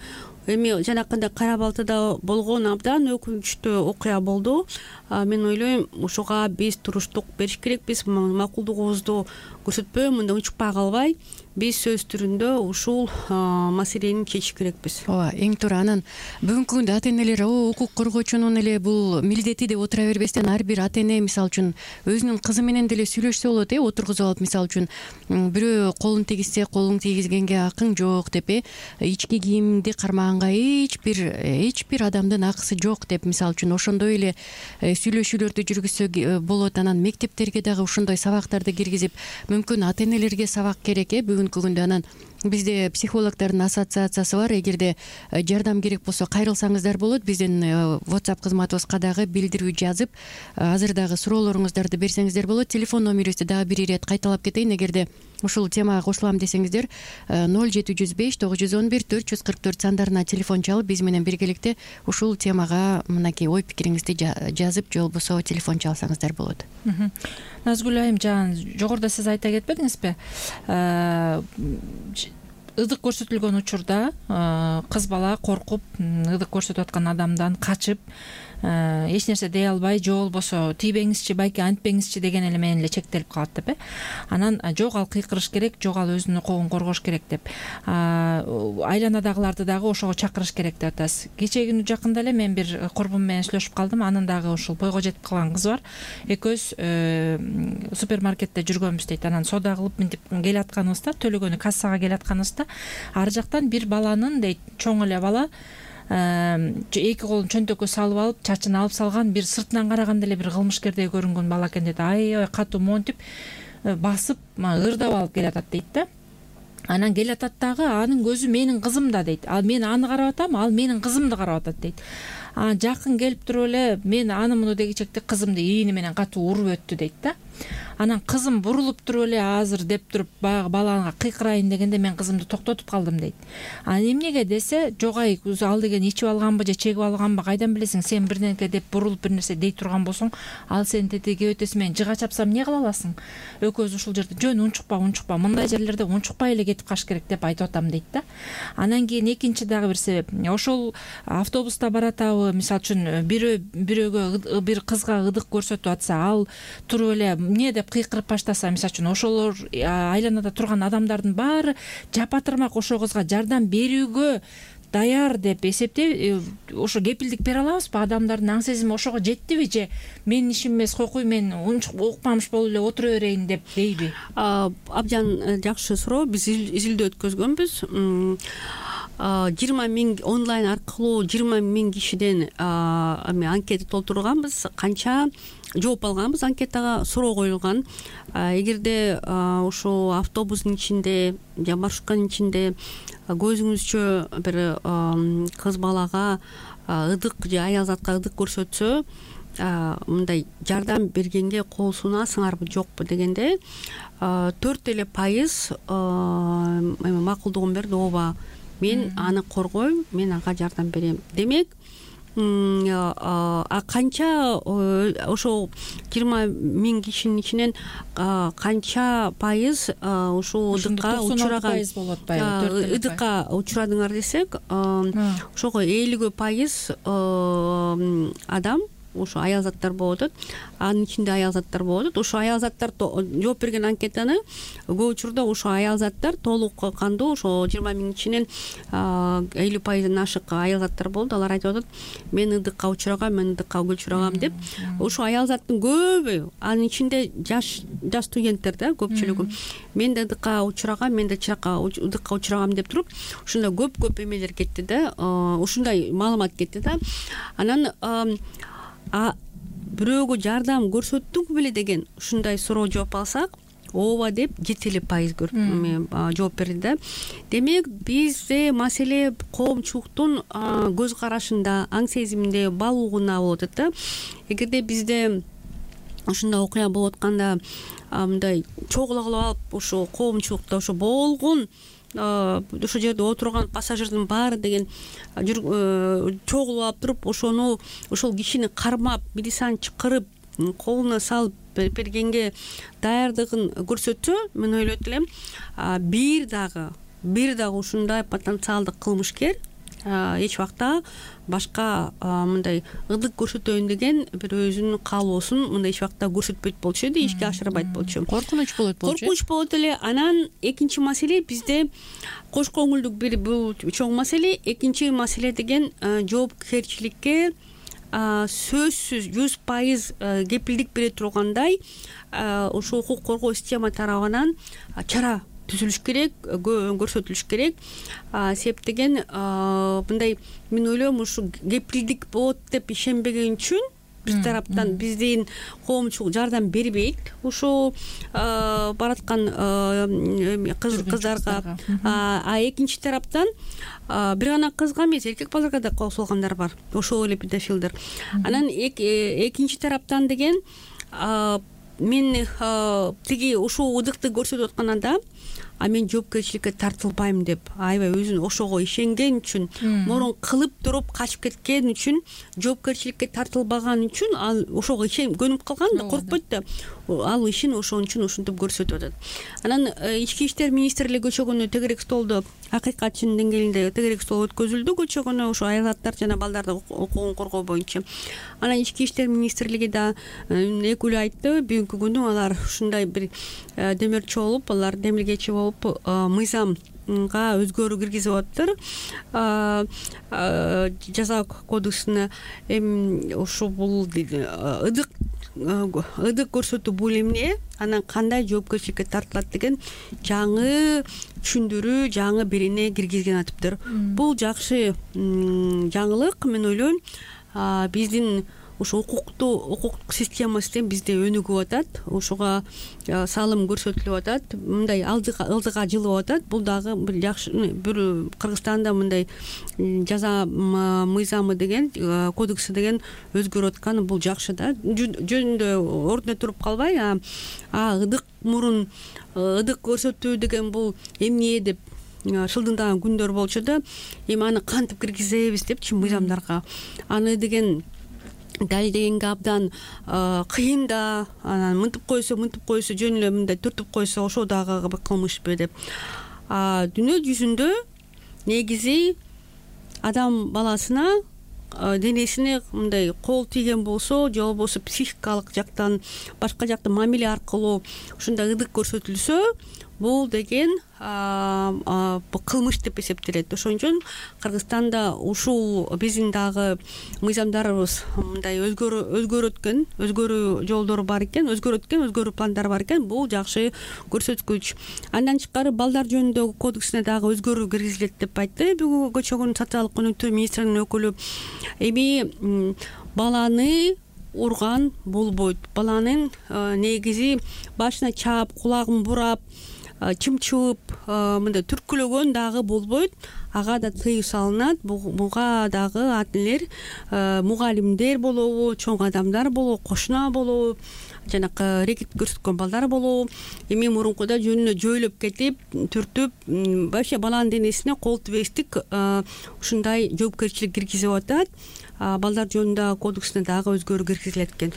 эми жанакындай Кара Балтада болгон абдан өкүнүчтүү окуя болду. Мен ойлойм, ошого биз туруштук бериш керекпиз, макулдугубузду көрсөтпөй, мындай унчукпай калбай, биз сөз түрүндө ушул маселени чечиш керекпиз. Ооба, эң туура. Анан бүгүнкү күндө ата энелер укук коргоочунун эле бул милдети деп отура бербестен, ар бир ата эне мисалы үчүн өзүнүн кызы менен деле сүйлөшсө болот, э, отургузуп алып, мисалы үчүн бирөө колун тийгизсе, колуң тийгизгенге акың жок деп, э, ички кийимди кармаганга эч бир эч бир адамдын акысы жок деп, мисалы үчүн ошондой эле сүйлөшүүлөрдү жүргүзсө болот. Анан мектептерге дагы ушондой сабактарды киргизип, мүмкүн ата энелерге сабак керек, э, бүгүнкү күндө. Анан бизде психологдордун ассоциациясы бар. Эгерде жардам керек болсо кайрылсаңыздар болот. Биздин WhatsApp кызматыбызга дагы билдирүү жазып, азыр дагы суроолоруңуздарды берсеңиздер болот. Телефон номерибизди дагы бир ирет кайталап кетейин. Эгерде ушул темага кошулам десеңиздер, ноль жети жүз беш тогуз жүз он бир төрт жүз кырк төрт сандарына телефон чалып, биз менен биргеликте ушул темага мынакей ой пикириңизди жазып, же болбосо телефон чалсаңыздар болот. Назгүл айым, жана жогоруда сиз айта кетпедиңизби? Ыдык көрсөтүлгөн учурда кыз бала коркуп, ыдык көрсөтүп аткан адамдан качып, эч нерсе дей албай, же болбосо тийбеңизчи, байке антпеңизчи деген эле менен эле чектелип калат деп, э. Анан жок ал кыйкырыш керек, жок ал өзүнүн укугун коргош керек деп, айланадагыларды дагы ошого чакырыш керек деп атасыз. Кечээ күнү жакында эле мен бир корбум менен сүйлөшүп калдым. Анын дагы ушул бойго жетип калган кызы бар. Экөөбүз супермаркетте жүргөнбүз дейт. Анан соода кылып мынтип келатканыбызда, төлөгөнү кассага келатканыбызда, ар жактан бир баланын дейт, чоң эле бала, эки колун чөнтөккө салып алып, чачын алып салган, бир сыртынан караганда эле бир кылмышкердей көрүнгөн бала экен дейт. Аябай катуу монтип басып, ырдап алып келатат дейт да. Анан келатат дагы, анын көзү менин кызым да дейт. Ал мен аны карап атам, ал менин кызымды карап атат дейт. Жакын келип туруп эле мен аны муну дегичекте кызымды ийини менен катуу уруп өттү дейт да. Анан кызым бурулуп туруп эле азыр деп туруп баягы балага кыйкырайын дегенде мен кызымды токтотуп калдым дейт. Анан эмнеге десе, жогай ал деген ичип алганбы же чегип алганбы кайдан билесиң, сен бирдеке деп бурулуп бир нерсе дей турган болсоң, ал сени тетиги өтөсү менен жыга чапсам эмне кыла аласың? Экөөбүз ушул жерде жөн унчукпа унчукпа мындай жерлерде унчукпай эле кетип калыш керек деп айтып атам дейт да. Анан кийин экинчи дагы бир себеп, ошол автобуста баратабы, мисалы үчүн бирөө бирөөгө бир кызга ыдык көрсөтүп атса, ал туруп эле эмне деп кыйкырып баштаса, мисалы үчүн ошолор айланада турган адамдардын баары жапатырмак ошол кызга жардам берүүгө даяр деп эсептей, ошо кепилдик бере алабызбы? Адамдардын аң сезими ошого жеттиби же менин ишим эмес, койкуй мен укпамыш болуп эле отура берейин деп дейби? Абдан жакшы суроо. Биз изилдөө өткөзгөнбүз. жыйырма миң онлайн аркылуу жыйырма миң кишиден анкета толтурганбыз. Канча жооп алганбыз анкетага, суроо коюлган. Эгерде ошо автобустун ичинде же маршрутканын ичинде көзүңүзчө бир кыз балага ыдык же аял затка ыдык көрсөтсө, мындай жардам бергенге кол сунасыңарбы жокпу дегенде төрт эле пайыз макулдугун берди. Ооба, мен аны коргойм, мен ага жардам берем. Демек, а канча ошо жыйырма миң кишинин ичинен канча пайыз ушул ыдыкка учураган ыдыкка учурадыңар десек, ошого элүү пайыз адам ошо аял заттар болуп атат. Анын ичинде аял заттар болуп атат. Ошо аял заттар жооп берген анкетаны көп учурда ошо аял заттар толук кандуу, ошо жыйырма миң ичинен элүү пайыздан ашык аял заттар болду. Алар айтып атат, мен ыдыкка учурагам, мен ыдыкка учурагам деп. Ошо аял заттын көбү, анын ичинде жаш жаш студенттер да көпчүлүгү. Мен да ыдыкка учурагам, мен да чыракка ыдыкка учурагам деп туруп, ушундай көп-көп эмелер кетти да, ушундай маалымат кетти да. Анан а бирөөгө жардам көрсөттүңбү беле деген ушундай суроо жооп алсак, ооба деп жети эле пайыз жооп берди да. Демек, бизде маселе коомчулуктун көз карашында, аң сезиминде, баалуулугунда болуп атат да. Эгерде бизде ушундай окуя болуп атканда мындай чогулуп алып, ошо коомчулукта ошо болгон ошол жерде отурган пассажирдин баары деген чогулуп алып туруп, ошону ошол кишини кармап, милицияны чакырып, колуна салып бергенге даярдыгын көрсөтсө, мен ойлойт элем, бир дагы бир дагы ушундай потенциалдык кылмышкер эч убакта башка мындай ыдык көрсөтөйүн деген бир өзүнүн каалоосун мындай эч убакта көрсөтпөйт болчу эди, ишке ашырбайт болчу. Коркунуч болот болчу. Коркунуч болот эле. Анан экинчи маселе, бизде кош көңүлдүк бир бул чоң маселе. Экинчи маселе деген жоопкерчиликке сөзсүз жүз пайыз кепилдик бере тургандай ошо укук коргоо система тарабынан чара түзүлүш керек, көрсөтүлүш керек. Себеп деген мындай, мен ойлойм, ушу кепилдик болот деп ишенбеген үчүн биз тараптан биздин коомчулук жардам бербейт ушул бараткан кыздарга. А экинчи тараптан бир гана кызга эмес, эркек балдарга да кол салгандар бар, ошол эле педофилдер. Анан экинчи тараптан деген мен тиги ушул ыдыкты көрсөтүп атканда, а мен жоопкерчиликке тартылбайм деп аябай өзүн ошого ишенген үчүн, мурун кылып туруп качып кеткен үчүн, жоопкерчиликке тартылбаган үчүн ал ошого ишенип көнүп калган да, коркпойт да. Ал ишин ошон үчүн ушинтип көрсөтүп атат. Анан ички иштер министрлиги көчөгөнү тегерек столдо, акыйкатчынын деңгээлинде тегерек стол өткөзүлдү көчөгөнү ошо аял заттар жана балдардын укугун коргоо боюнча. Анан ички иштер министрлиги да экүлүү айтты, бүгүнкү күнү алар ушундай бир демирчи болуп, алар демилгечи болуп, мыйзамга өзгөрүү киргизип атыптыр. Жаза кодексине эми ошо бул ыдык ыдык көрсөтүү бул эмне, анан кандай жоопкерчиликке тартылат деген жаңы түшүндүрүү, жаңы бирине киргизген атыптыр. Бул жакшы жаңылык, мен ойлойм. Биздин ошо укуктуу укуктук системасы тең бизде өнүгүп атат, ошого салым көрсөтүлүп атат, мындай ылдыга жылып атат. Бул дагы бир жакшы, бир Кыргызстанда мындай жаза мыйзамы деген, кодекси деген өзгөрүп атканы бул жакшы да. Жөнүндө ордуна туруп калбай, а ыдык мурун, ыдык көрсөтүү деген бул эмне деп шылдыңдаган күндөр болчу да. Эми аны кантип киргизебиз депчи мыйзамдарга. Аны деген далилдегенге абдан кыйын да. Анан мынтип койсо, мынтип койсо, жөн эле мындай түртүп койсо, ошо дагы бир кылмышпы деп. А дүйнө жүзүндө негизи адам баласына денесине мындай кол тийген болсо, же болбосо психикалык жактан, башка жактан мамиле аркылуу ушундай ыдык көрсөтүлсө, бул деген кылмыш деп эсептелет. Ошон үчүн Кыргызстанда ушул биздин дагы мыйзамдарыбыз мындай өзгөрүп өткөн, өзгөрүү жолдору бар экен, өзгөрүп өткөн, өзгөрүү пландары бар экен. Бул жакшы көрсөткүч. Андан тышкары балдар жөнүндөгү кодексине дагы өзгөрүү киргизилет деп айтты бүгүнкү чогуу социалдык өнүктүү министринин өкүлү. Эми баланы урган болбойт. Баланын негизи башына чаап, кулагын бурап, чымчып, мындай түркүлөгөн дагы болбойт. Ага да тыюу салынат. Буга дагы ата-энелер, мугалимдер болобу, чоң адамдар болобу, кошуна болобу, жанакы рекет көрсөткөн балдар болобу, эми мурункуда жөнүнө жойлоп кетип, түртүп, вообще баланын денесине кол тийбестик ушундай жоопкерчилик киргизип атат. Балдар жөнүндө кодексине дагы өзгөрүү киргизилет экен.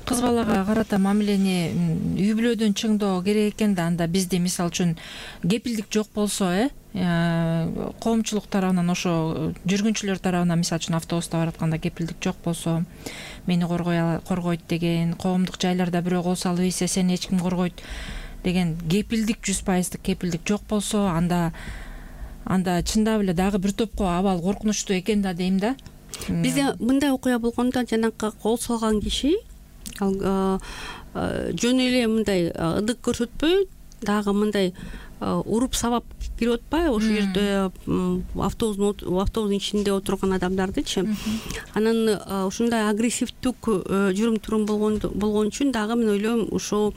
Кыз балага карата мамилени үй бүлөдөн чыңдоо керек экен да. Анда бизде мисалы үчүн кепилдик жок болсо, э коомчулук тарабынан, ошо жүргүнчүлөр тарабынан, мисалы үчүн автобуста баратканда кепилдик жок болсо, мени коргойт деген, коомдук жайларда бирөө кол салып ийсе, сени эч ким коргойт деген кепилдик, жүз пайыздык кепилдик жок болсо, анда анда чындап эле дагы бир топко абал коркунучтуу экен да дейм да. Бизде мындай окуя болгондо, жанакы кол салган киши ал жөн эле мындай ыдык көрсөтпөй, дагы мындай уруп сабап кирип атпайбы ошол жерде автобустун автобустун ичинде отурган адамдардычы. Анан ушундай агрессивдүк жүрүм турум болгон болгон үчүн дагы мен ойлойм, ошол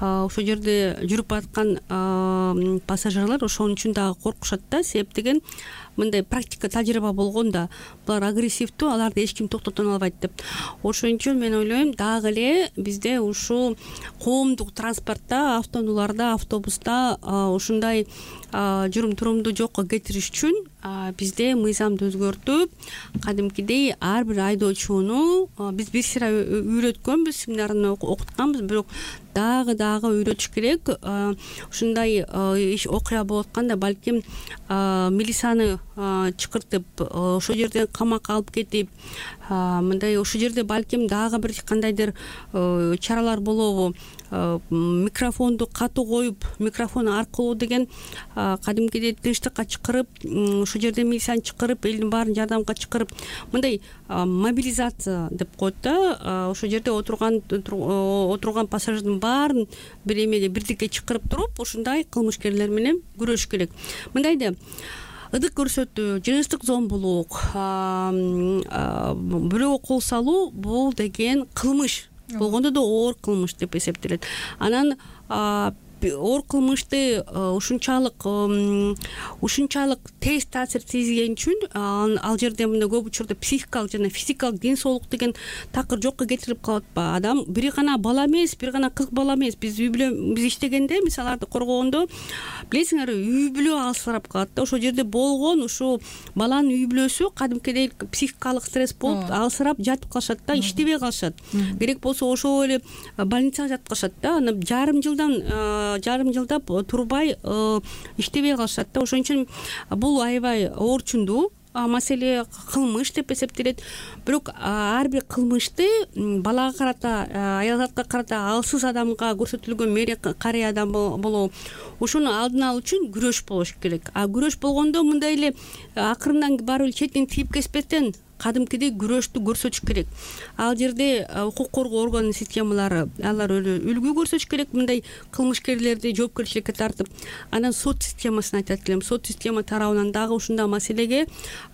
ошол жерде жүрүп аткан пассажирлар ошон үчүн дагы коркушат да. Себеп деген мындай практика, тажрыйба болгон да, булар агрессивдүү, аларды эч ким токтото албайт деп. Ошон үчүн мен ойлойм, дагы эле бизде ушул коомдук транспортто, автоунааларда, автобуста ушундай жүрүм турумду жокко кетириш үчүн бизде мыйзамды өзгөртүп, кадимкидей ар бир айдоочуну биз бир сыйра үйрөткөнбүз, семинарын окутканбыз, бирок дагы дагы үйрөтүш керек. Ушундай иш окуя болуп атканда, балким милицияны чакыртып, ошол жерден камакка алып кетип, мындай ошол жерде балким дагы бир кандайдыр чаралар болобу, микрофонду катуу коюп, микрофон аркылуу деген кадимкидей тынчтыкка чакырып, ошол жерде милицияны чакырып, элдин баарын жардамга чакырып, мындай мобилизация деп коет да. Ошол жерде отурган отурган пассажирдин баарын бир эмеге, бирдикке чакырып туруп, ушундай кылмышкерлер менен күрөшүш керек. Мындай да ыдык көрсөтүү, жыныстык зомбулук, бирөөгө кол салуу, бул деген кылмыш. Болгондо да оор кылмыш деп эсептелет. Анан оор кылмышты ушунчалык ушунчалык тез таасир тийгизген үчүн ал жерде мындай көп учурда психикалык жана физикалык ден соолук деген такыр жокко кетирип калат атпа. Адам бир гана бала эмес, бир гана кыз бала эмес. Биз үй бүлө биз иштегенде, мисаларды коргогондо, билесиңерби, үй бүлө алсырап калат да. Ошол жерде болгон ушул баланын үй бүлөсү кадимкидей психикалык стресс болуп алсырап жатып калышат да, иштебей калышат. Керек болсо ошол эле больницага жатып калышат да. Аны жарым жылдан жарым жылдап турбай иштебей калышат да. Ошон үчүн бул аябай оорчундуу маселе, кылмыш деп эсептелет. Бирок ар бир кылмышты балага карата, аялзатка карата, алсыз адамга көрсөтүлгөн мээри карый адам болобу, ошону алдын алуу үчүн күрөш болуш керек. А күрөш болгондо мындай эле акырындан барып четинен тийип кеспестен кадимкидей күрөштү көрсөтүш керек. Ал жерде укук коргоо орган системалары алар үлгү көрсөтүш керек, мындай кылмышкерлерди жоопкерчиликке тартып. Анан сот системасын айтат элем. Сот система тарабынан дагы ушундай маселеге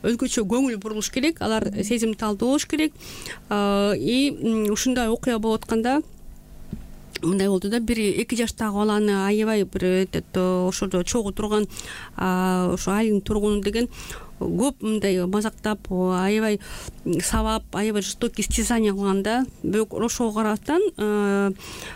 өзгөчө көңүл бурулуш керек. Алар сезимталдуу болуш керек. И ушундай окуя болуп атканда мындай болду да, бир эки жаштагы баланы аябай бир ошодо чогуу турган ошо айылдын тургуну деген көп мындай мазактап, аябай сабап, аябай жестокий истязание кылган да. Бирок ошого карабастан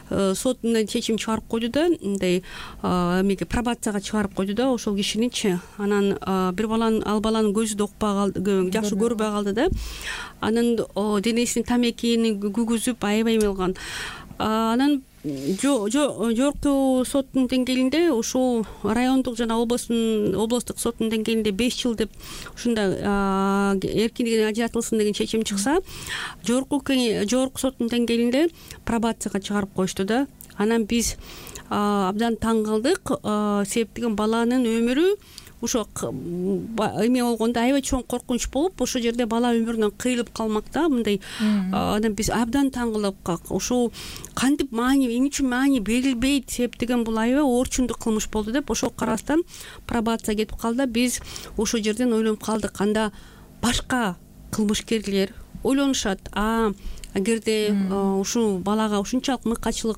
сот мындай чечим чыгарып койду да, мындай эмеге пробацияга чыгарып койду да ошол кишиничи. Анан бир баланын ал баланын көзү да укпай калды, жакшы көрбөй калды да. Анан денесин тамекини күгүзүп аябай эме кылган. Анан жогорку соттун деңгээлинде, ушул райондук жана областын областтык соттун деңгээлинде беш жыл деп ушундай эркиндигинен ажыратылсын деген чечим чыкса, жогорку жогорку соттун деңгээлинде пробацияга чыгарып коюшту да. Анан биз абдан таң калдык, себеп деген баланын өмүрү ошо эме болгондо аябай чоң коркунуч болуп, ошол жерде бала өмүрүнөн кыйылып калмак да, мындай. Анан биз абдан таң калып, ошол кантип маани, эмне үчүн маани берилбейт, себеп деген бул аябай орчундук кылмыш болду деп ошого карабастан пробация кетип калды. Биз ошол жерден ойлонуп калдык, анда башка кылмышкерлер ойлонушат, а эгерде ушул балага ушунчалык мыкачылык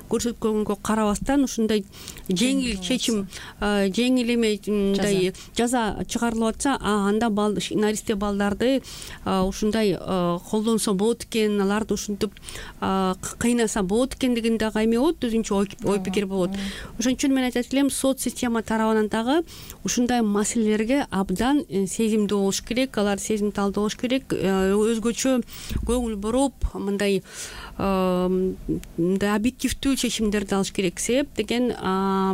көрсөткөнгө карабастан ушундай жеңил чечим, жеңил эме мындай жаза чыгарылып атса, анда наристе балдарды ушундай колдонсо болот экен, аларды ушинтип кыйнаса болот экен деген дагы эме болот, өзүнчө ой пикир болот. Ошон үчүн мен айтат элем, сот система тарабынан дагы ушундай маселелерге абдан сезимдүү болуш керек, алар сезимталдуу болуш керек, өзгөчө көңүл буруп, мындай мындай объективдүү чечимдерди алыш керек. Себеп деген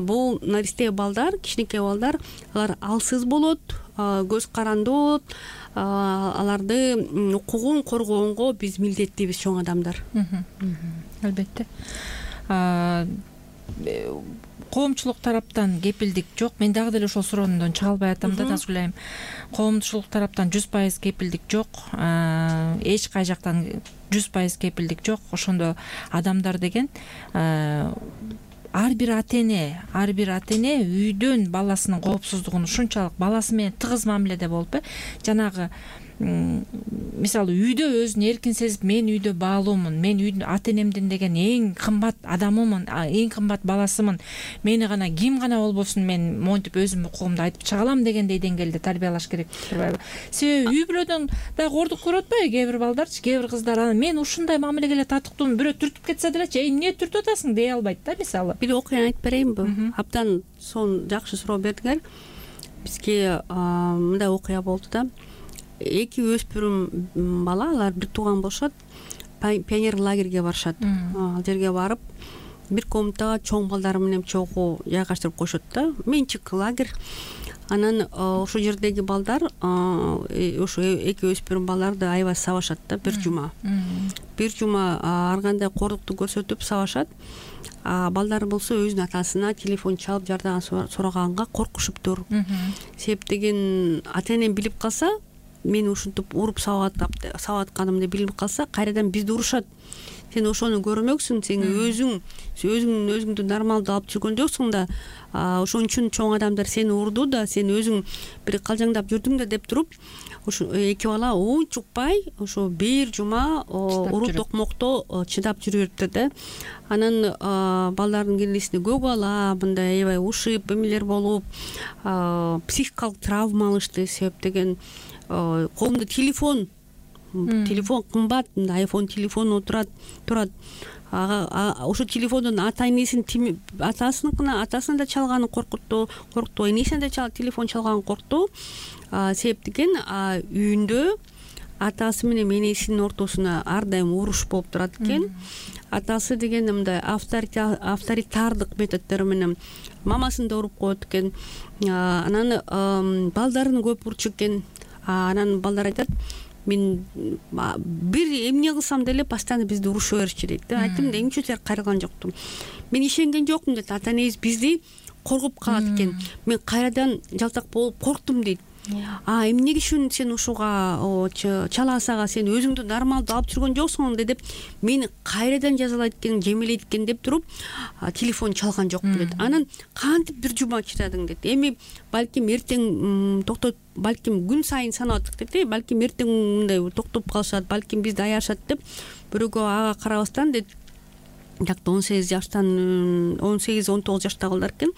бул наристе балдар, кичинекей балдар, алар алсыз болот, көз карандуу болот, аларды укугун коргоонго биз милдеттүүбүз, чоң адамдар. Албетте. Коомчулук тараптан кепилдик жок. Мен дагы деле ошол суроондон чыга албай атам да, Назгүл айым. Коомчулук тараптан жүз пайыз кепилдик жок. Эч кай жактан жүз пайыз кепилдик жок. Ошондо адамдар деген ар бир ата-эне, ар бир ата-эне үйдөн баласынын коопсуздугун ушунчалык баласы менен тыгыз мамиледе болуп, жанагы мисалы үйдө өзүн эркин сезип, мен үйдө баалуумун, мен үйдүн ата-энемдин деген эң кымбат адамымын, эң кымбат баласымын, мени гана ким гана болбосун мен монтип өзүмдүн укугумду айтып чыга алам дегендей деңгээлде тарбиялаш керек турбайбы? Себеби үй бүлөдөн дагы ордук көрүп атпайбы кээ бир балдарчы, кээ бир кыздар, мен ушундай мамилеге эле татыктуумун, бирөө түртүп кетсе делечи, эй эмне түртүп атасың дей албайт да, мисалы. Бир окуяны айтып берейинби? Абдан сонун жакшы суроо бердиңер. Бизге мындай окуя болду да. Эки өспүрүм бала, алар бир тууган болушат, пионер лагерге барышат. Ал жерге барып, бир комнатага чоң балдар менен чогуу жайгаштырып коюшат да, менчик лагерь. Анан ошол жердеги балдар, ошо эки өспүрүм балдарды аябай сабашат да, бир жума. Бир жума ар кандай корлукту көрсөтүп сабашат. Балдар болсо өзүнүн атасына телефон чалып жардам сураганга коркушуптур. Себеп деген ата-энем билип калса, мени ушинтип уруп сабап атканымды билип калса, кайрадан бизди урушат. Сен ошону көрмөксүң, сен өзүң өзүң өзүңдү нормалдуу алып жүргөн жоксуң да, ошон үчүн чоң адамдар сени урду да, сен өзүң бир калжаңдап жүрдүң да деп туруп, ошо эки бала унчукпай ошо бир жума уруу токмокто чыдап жүрүп бериптир да. Анан балдардын кенесинде көк ала, мындай аябай ушип эмелер болуп, психикалык травма алышты. Себеп деген колунда телефон, телефон кымбат, айфон телефон отурат, турат. Ошо телефондон ата-энесин, атасыныкына, атасына да чалганын коркутту, коркту, энесине да телефон чалганын коркту. Себеп деген үйүндө атасы менен энесинин ортосуна ар дайым уруш болуп турат экен. Атасы деген мындай авторитардык методдор менен мамасын да уруп коет экен. Анан балдарын көп урчу экен. Анан балдар айтат, мен бир эмне кылсам деле постоянно бизди уруша беришчү дейт да. Айттым да, эмне үчүн сен кайрылган жоктум? Мен ишенген жокмун дейт. Ата-энебиз бизди коргоп калат экен. Мен кайрадан жалтак болуп корктум дейт. а эмнеге үчүн сен ушуга чалаасага сен өзүңдү нормалдуу алып жүргөн жоксуң деп мени кайрадан жазалайт экен, жемелейт экен деп туруп телефон чалган жокпу дейт. Анан кантип бир жума чыдадың дейт. Эми балким эртең токтоп, балким күн сайын санап атат дейт. Балким эртең мындай токтоп калышат, балким бизди аярышат деп бирөөгө ага карабастан дейт. Жакта он сегиз жаштан он сегиз он тогуз жаштагылар экен.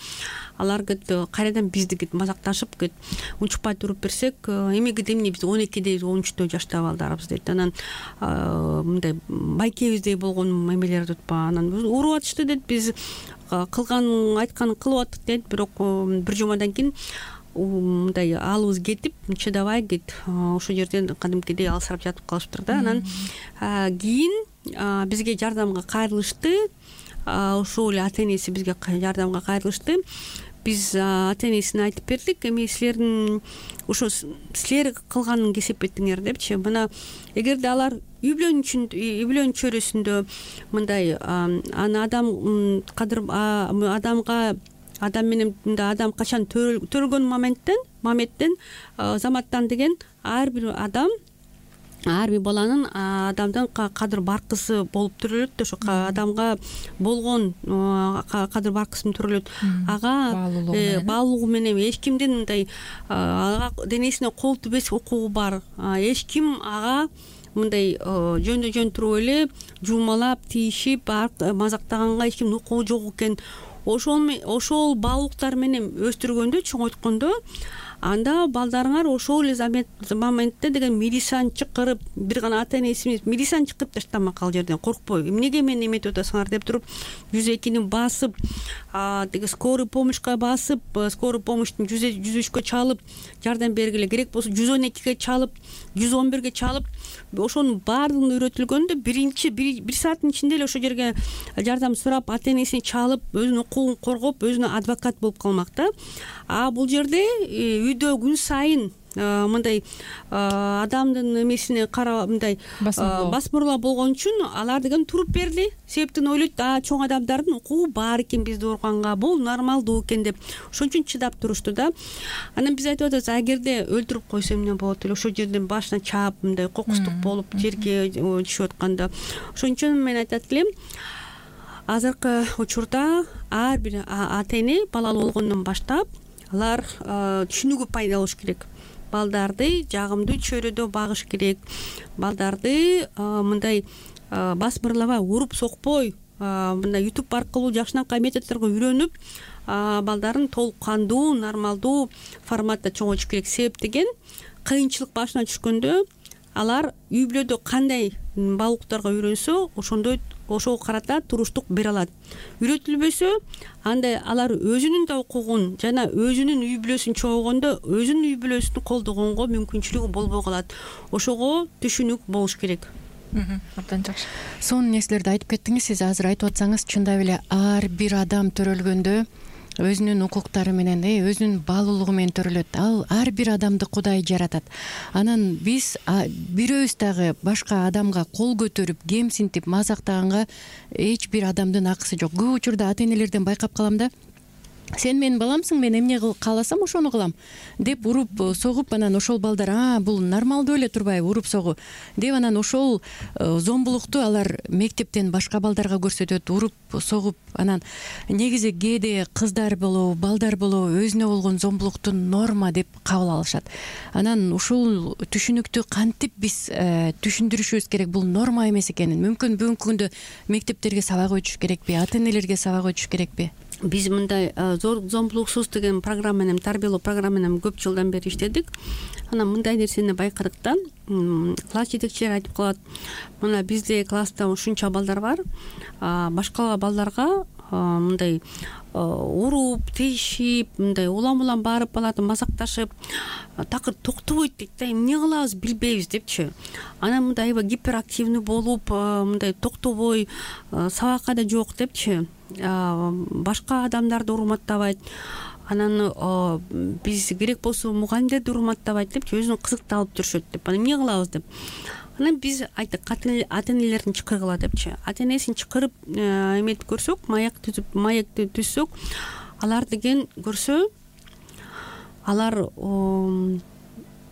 Алар кет кайрадан бизди кет мазакташып кет унчукпай туруп берсек, эми кет эмне биз он экиде он үчтө жаштагы балдарбыз дейт. Анан мындай байкебиздей болгон эмелер деп па, анан уруп атышты дейт. Биз кылган айтканын кылып аттык дейт. Бирок бир жумадан кийин мындай алыбыз кетип чыдабай кет ошол жерден кадимкидей алсырап жатып калышыптыр да. Анан кийин бизге жардамга кайрылышты. Ошол эле ата энеси бизге жардамга кайрылышты. Биз ата энесине айтып бердик, эми силердин ошо силер кылганын кесепеттиңер депчи. Мына эгерде алар үй бүлөнүн үй бүлөнүн чөйрөсүндө мындай аны адам кадыр адамга адам менен мындай адам качан төрөлгөн моменттен моменттен заматтан деген ар бир адам ар бир баланын адамдын кадыр баркысы болуп төрөлөт да. Ошо адамга болгон кадыр баркысын төрөлөт. Ага баалуулугу менен эч кимдин мындай ага денесине кол тийбес укугу бар. Эч ким ага мындай жөндө жөн туруп эле жуумалап тийишип мазактаганга эч кимдин укугу жок экен. Ошол ошол баалуулуктар менен өстүргөндө, чоңойткондо анда балдарыңар ошол эле моментте деген милицияны чакырып, бир гана ата энеси милицияны чакырып таштамак ал жерден коркпой. Эмнеге мени эметип атасыңар деп туруп жүз экини басып, деги скорый помощька басып, скорый помощьтун жүз үчкө чалып, жардам бергиле, керек болсо жүз он экиге чалып, жүз он бирге чалып, ошонун баардыгын үйрөтүлгөндө биринчи бир сааттын ичинде эле ошол жерге жардам сурап, ата энесин чалып, өзүнүн укугун коргоп, өзүнө адвокат болуп калмак да. А бул жерде үйдө күн сайын мындай адамдын эмесине карап мындай басмырлоо болгон үчүн алар деген туруп берди. Себептен ойлойт, а чоң адамдардын укугу бар экен бизди урганга, бул нормалдуу экен деп. Ошон үчүн чыдап турушту да. Анан биз айтып атабыз, эгерде өлтүрүп койсо эмне болот эле, ошол жерден башына чаап мындай кокустук болуп жерге түшүп атканда. Ошон үчүн мен айтат элем, азыркы учурда ар бир ата эне балалуу болгондон баштап алар түшүнүгү пайда болуш керек. Балдарды жагымдуу чөйрөдө багыш керек. Балдарды мындай басмырлабай, уруп сокпой, мындай YouTube аркылуу жакшынакай методдорго үйрөнүп, балдарын толук кандуу, нормалдуу форматта чоңойтуш керек. Себеп деген кыйынчылык башына түшкөндө алар үй бүлөдө кандай баалуулуктарга үйрөнсө, ошондой ошого карата туруштук бере алат. Үйрөтүлбөсө, анда алар өзүнүн да укугун жана өзүнүн үй бүлөсүн чогойгондо өзүнүн үй бүлөсүн колдогонго мүмкүнчүлүгү болбой калат. Ошого түшүнүк болуш керек. Абдан жакшы. Сонун нерселерди айтып кеттиңиз. Сиз азыр айтып атсаңыз, чындап эле ар бир адам төрөлгөндө өзүнүн укуктары менен, өзүнүн баалуулугу менен төрөлөт. Ал ар бир адамды Кудай жаратат. Анан биз бирөөбүз дагы башка адамга кол көтөрүп, кемсинтип, мазактаганга эч бир адамдын акысы жок. Көп учурда ата энелерден байкап калам да. Сен менин баламсың, мен эмне кааласам ошону кылам деп уруп согуп, анан ошол балдар а бул нормалдуу эле турбайбы уруп согуу деп, анан ошол зомбулукту алар мектептен башка балдарга көрсөтөт, уруп согуп. Анан негизи кээде кыздар болобу, балдар болобу өзүнө болгон зомбулукту норма деп кабыл алышат. Анан ушул түшүнүктү кантип биз түшүндүрүшүбүз керек, бул норма эмес экенин. Мүмкүн бүгүнкү күндө мектептерге сабак өтүш керекпи, ата энелерге сабак өтүш керекпи? Биз мындай зор зомбулуксуз деген программа менен, тарбиялоо программа менен көп жылдан бери иштедик. Анан мындай нерсени байкадык да, класс жетекчилери айтып калат, мына бизде класста ушунча балдар бар, башка балдарга мындай уруп, тийишип, мындай улам улам барып алат, мазакташып, такыр токтобойт дейт да, эмне кылабыз билбейбиз депчи. Анан мындай аябай гиперактивный болуп, мындай токтобой, сабакка да жок депчи. Башка адамдарды урматтабайт. Анан биз керек болсо мугалимдерди урматтабайт депчи, өзүнүн кызыкталып жүрүшөт деп. Анан эмне кылабыз деп. Анан биз айттык, ата энелерин чакыргыла депчи. Ата энесин чакырып эметип көрсөк, маяк түзүп, маекти түзсөк, алар деген көрсө, алар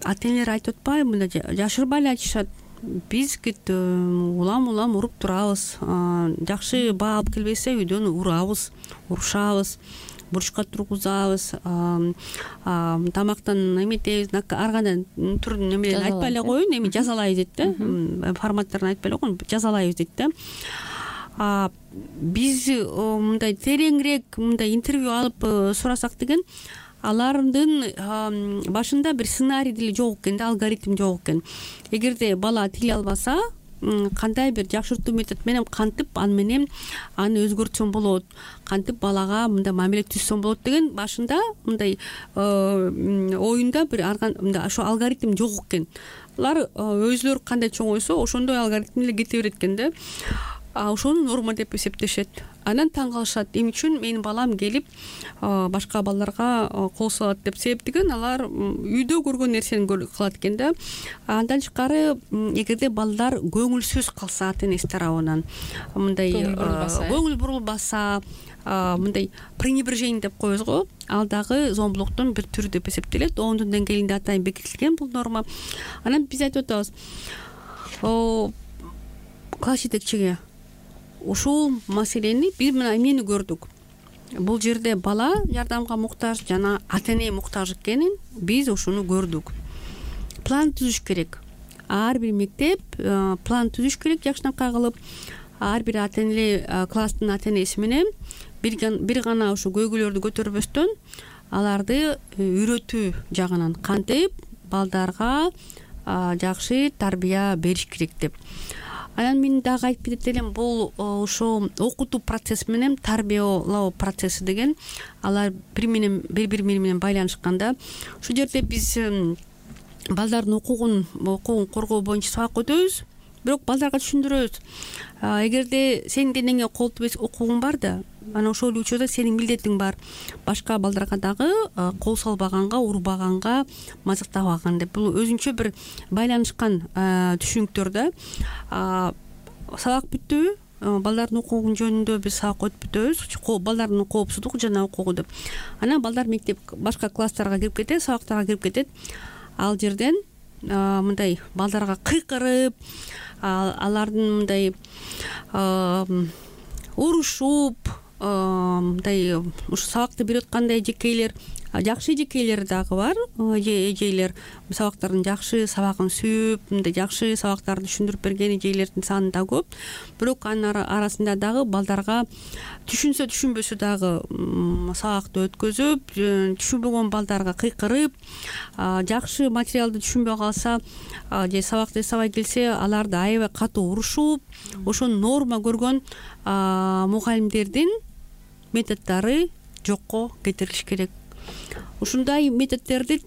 ата энелер айтып атпайбы, мындай жашырбай эле айтышат. Биз кит улам улам уруп турабыз, жакшы баа алып келбесе үйдөн урабыз, урушабыз, бурчка тургузабыз, тамактан эметебиз, ар кандай түрдүн немелерин айтпай эле коеюн, эми жазалайбыз дейт да, форматтарын айтпай эле коеюн, жазалайбыз дейт да. Биз мындай тереңирээк мындай интервью алып сурасак деген, алардын башында бир сценарий деле жок экен да, алгоритм жок экен. Эгерде бала тиле албаса, кандай бир жакшыртуу метод менен кантип аны менен аны өзгөртсөм болот, кантип балага мындай мамиле түзсөм болот деген башында мындай оюнда бир мындай ошо алгоритм жок экен. Алар өзүлөрү кандай чоң ойсо ошондой алгоритм эле кете берет экен да. Ошону норма деп эсептешет. Анан таң калышат, эмне үчүн менин балам келип башка балдарга кол салат деп себептеген, алар үйдө көргөн нерсени кылат экен да. Андан тышкары, эгерде балдар көңүлсүз калса ата энеси тарабынан, мындай көңүл бурулбаса, мындай пренебрежение деп коебуз го, ал дагы зомбулуктун бир түрү деп эсептелет. ондун деңгээлинде атайын бекитилген бул норма. Анан биз айтып атабыз, класс жетекчиге ушул маселени биз мына эмнени көрдүк. Бул жерде бала жардамга муктаж жана ата эне муктаж экенин биз ушуну көрдүк. План түзүш керек. Ар бир мектеп план түзүш керек жакшынакай кылып. Ар бир ата эне, класстын ата энеси менен бир гана ушу көйгөйлөрдү көтөрбөстөн, аларды үйрөтүү жагынан кантип балдарга жакшы тарбия бериш керек деп. Анан мен дагы айтып кетет элем, бул ошо окутуу процесси менен тарбиялоо процесси деген, алар бири менен бири-бири менен байланышканда. Ушул жерде биз балдардын укугун укугун коргоо боюнча сабак өтөбүз, бирок балдарга түшүндүрөбүз. Эгерде сенин денеңе кол тийбес укугуң бар да, анан ошол учурда сенин милдетиң бар башка балдарга дагы кол салбаганга, урбаганга, мазактабаган деп. Бул өзүнчө бир байланышкан түшүнүктөр да. Сабак бүттүбү, балдардын укугу жөнүндө биз сабак өтүп бүтөбүз, балдардын коопсуздугу жана укугу деп. Анан балдар мектеп башка класстарга кирип кетет, сабактарга кирип кетет. Ал жерден мындай балдарга кыйкырып, алардын мындай урушуп, мындай ушу сабакты берип аткандай эжекейлер, жакшы эжекейлер дагы бар, эжейлер сабактардын жакшы сабагын сүйүп, мындай жакшы сабактарды түшүндүрүп берген эжейлердин саны да көп. Бирок анын арасында дагы балдарга түшүнсө түшүнбөсө дагы сабакты өткөзүп, түшүнбөгөн балдарга кыйкырып, жакшы материалды түшүнбөй калса же сабакты эсебай келсе, аларды аябай катуу урушуп, ошону норма көргөн мугалимдердин методдору жокко кетирилиш керек. Ушундай методдорду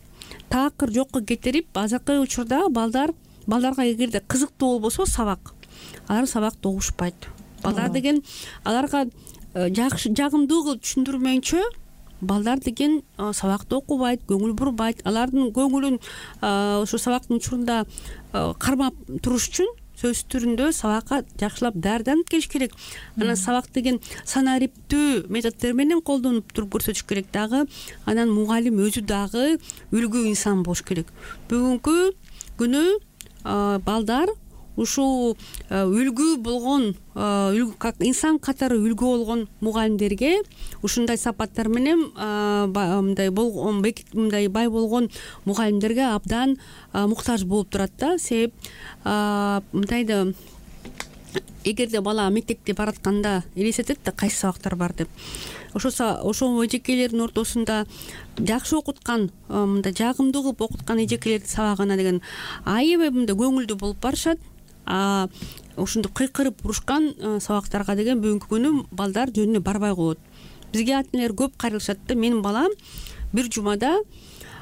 такыр жокко кетирип, азыркы учурда балдар балдарга эгерде кызыктуу болбосо сабак, алар сабакты угушпайт. Балдар деген аларга жакшы жагымдуу кылып түшүндүрмөйүнчө, балдар деген сабакты окубайт, көңүл бурбайт. Алардын көңүлүн ошо сабактын учурунда кармап туруш үчүн сөз түрүндө сабакка жакшылап даярданып келиш керек. Анан сабак деген санариптүү методдор менен колдонуп туруп көрсөтүш керек дагы. Анан мугалим өзү дагы үлгү инсан болуш керек. Бүгүнкү күнү балдар ушул үлгү болгон, как инсан катары үлгү болгон мугалимдерге, ушундай сапаттар менен мындай болгон, мындай бай болгон мугалимдерге абдан муктаж болуп турат да. Себеп мындай да, эгерде бала мектепке баратканда элестетет да кайсы сабактар бар деп. Ошо ошол эжекейлердин ортосунда жакшы окуткан, мындай жагымдуу кылып окуткан эжекейлердин сабагына деген аябай мындай көңүлдүү болуп барышат. А ушундай кыйкырып урушкан сабактарга деген бүгүнкү күнү балдар жөнүнө барбай коет. Бизге ата энелер көп кайрылышат да, менин балам бир жумада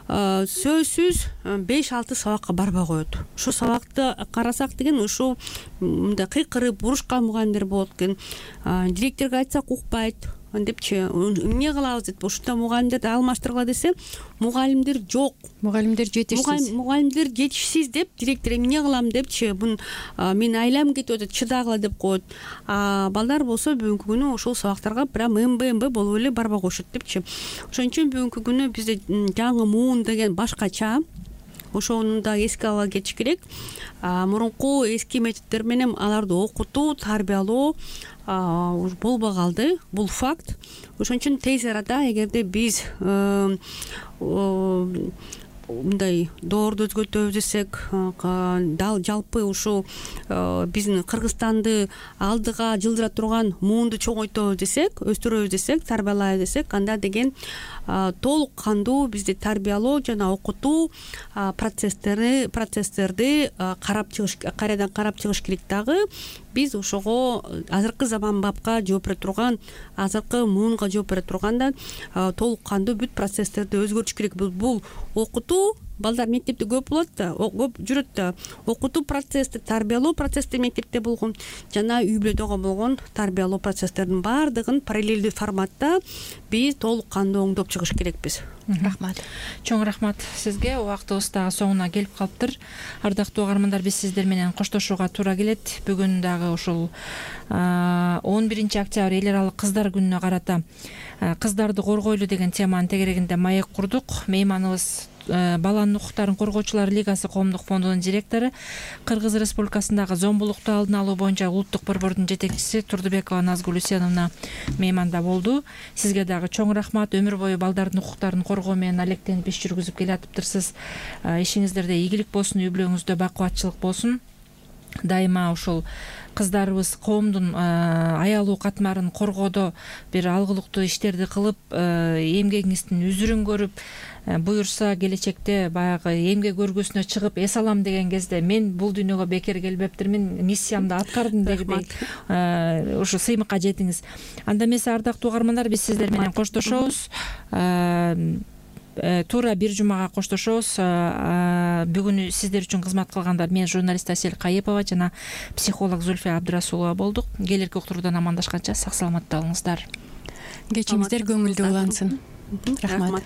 сөзсүз беш алты сабакка барбай коет. Ошо сабакты карасак деген ушу мындай кыйкырып урушкан мугалимдер болот экен. Директорго айтсак укпайт депчи, эмне кылабыз деп ушундай мугалимдерди алмаштыргыла десе, мугалимдер жок. Мугалимдер жетишсиз. Мугалимдер жетишсиз деп директор эмне кылам депчи, бун мен айлам кетип атат, чыдагыла деп коет. А балдар болсо бүгүнкү күнү ошол сабактарга прям эмбе-эмбе болуп эле барбай коюшат депчи. Ошон үчүн бүгүнкү күнү бизде жаңы муун деген башкача. ошону да эске ала кетиш керек. Мурунку эски методдор менен аларды окутуу, тарбиялоо болбой калды. Бул факт. Ошон үчүн тез арада эгерде биз мындай доорду өзгөртөбүз десек, дал жалпы ушул биздин Кыргызстанды алдыга жылдыра турган муунду чоңойтобуз десек, өстүрөбүз десек, тарбиялайбыз десек, анда деген толук кандуу бизди тарбиялоо жана окутуу процесстерди процесстерди карап чыгыш кайрадан карап чыгыш керек. Дагы биз ошого азыркы заманбапка жооп бере турган, азыркы муунга жооп бере турганда толук кандуу бүт процесстерди өзгөртүш керек. Бул окутуу, балдар мектепте көп болот да, көп жүрөт да. Окутуу процесси, тарбиялоо процесси мектепте болгон жана үй бүлөдөгө болгон тарбиялоо процесстердин баардыгын параллелдүү форматта биз толук кандуу оңдоп чыгыш керекпиз. Рахмат. Чоң рахмат сизге. Убактыбыз дагы соңуна келип калыптыр. Ардактуу угармандар, биз сиздер менен коштошууга туура келет. Бүгүн дагы ушул он биринчи октябрь эл аралык кыздар күнүнө карата кыздарды коргойлу деген теманын тегерегинде маек курдук. Мейманыбыз баланын укуктарын коргоочулар лигасы коомдук фондунун директору, Кыргыз Республикасындагы зомбулукту алдын алуу боюнча улуттук борбордун жетекчиси Турдубекова Назгүл Үсеновна мейманда болду. Сизге дагы чоң рахмат. Өмүр бою балдардын укуктарын коргоо менен алектенип иш жүргүзүп келатыптырсыз. Ишиңиздерде ийгилик болсун, үй бүлөңүздө бакубатчылык болсун. Дайыма ушул кыздарыбыз коомдун аялуу катмарын коргоодо бир алгылыктуу иштерди кылып, эмгегиңиздин үзүрүн көрүп, буюрса келечекте баягы эмгек өргөсүнө чыгып эс алам деген кезде мен бул дүйнөгө бекер келбептирмин, миссиямды аткардым дегидей ушу сыймыкка жетиңиз. Анда эмесе, ардактуу угармандар, биз сиздер менен коштошобуз. Туура бир жумага коштошобуз. Бүгүн сиздер үчүн кызмат кылгандар мен журналист Асель Кайыпова жана психолог Зульфия Абдрасулова болдук. Келерки уктуруудан амандашканча сак саламатта болуңуздар. Кечиңиздер көңүлдүү улансын. Рахмат.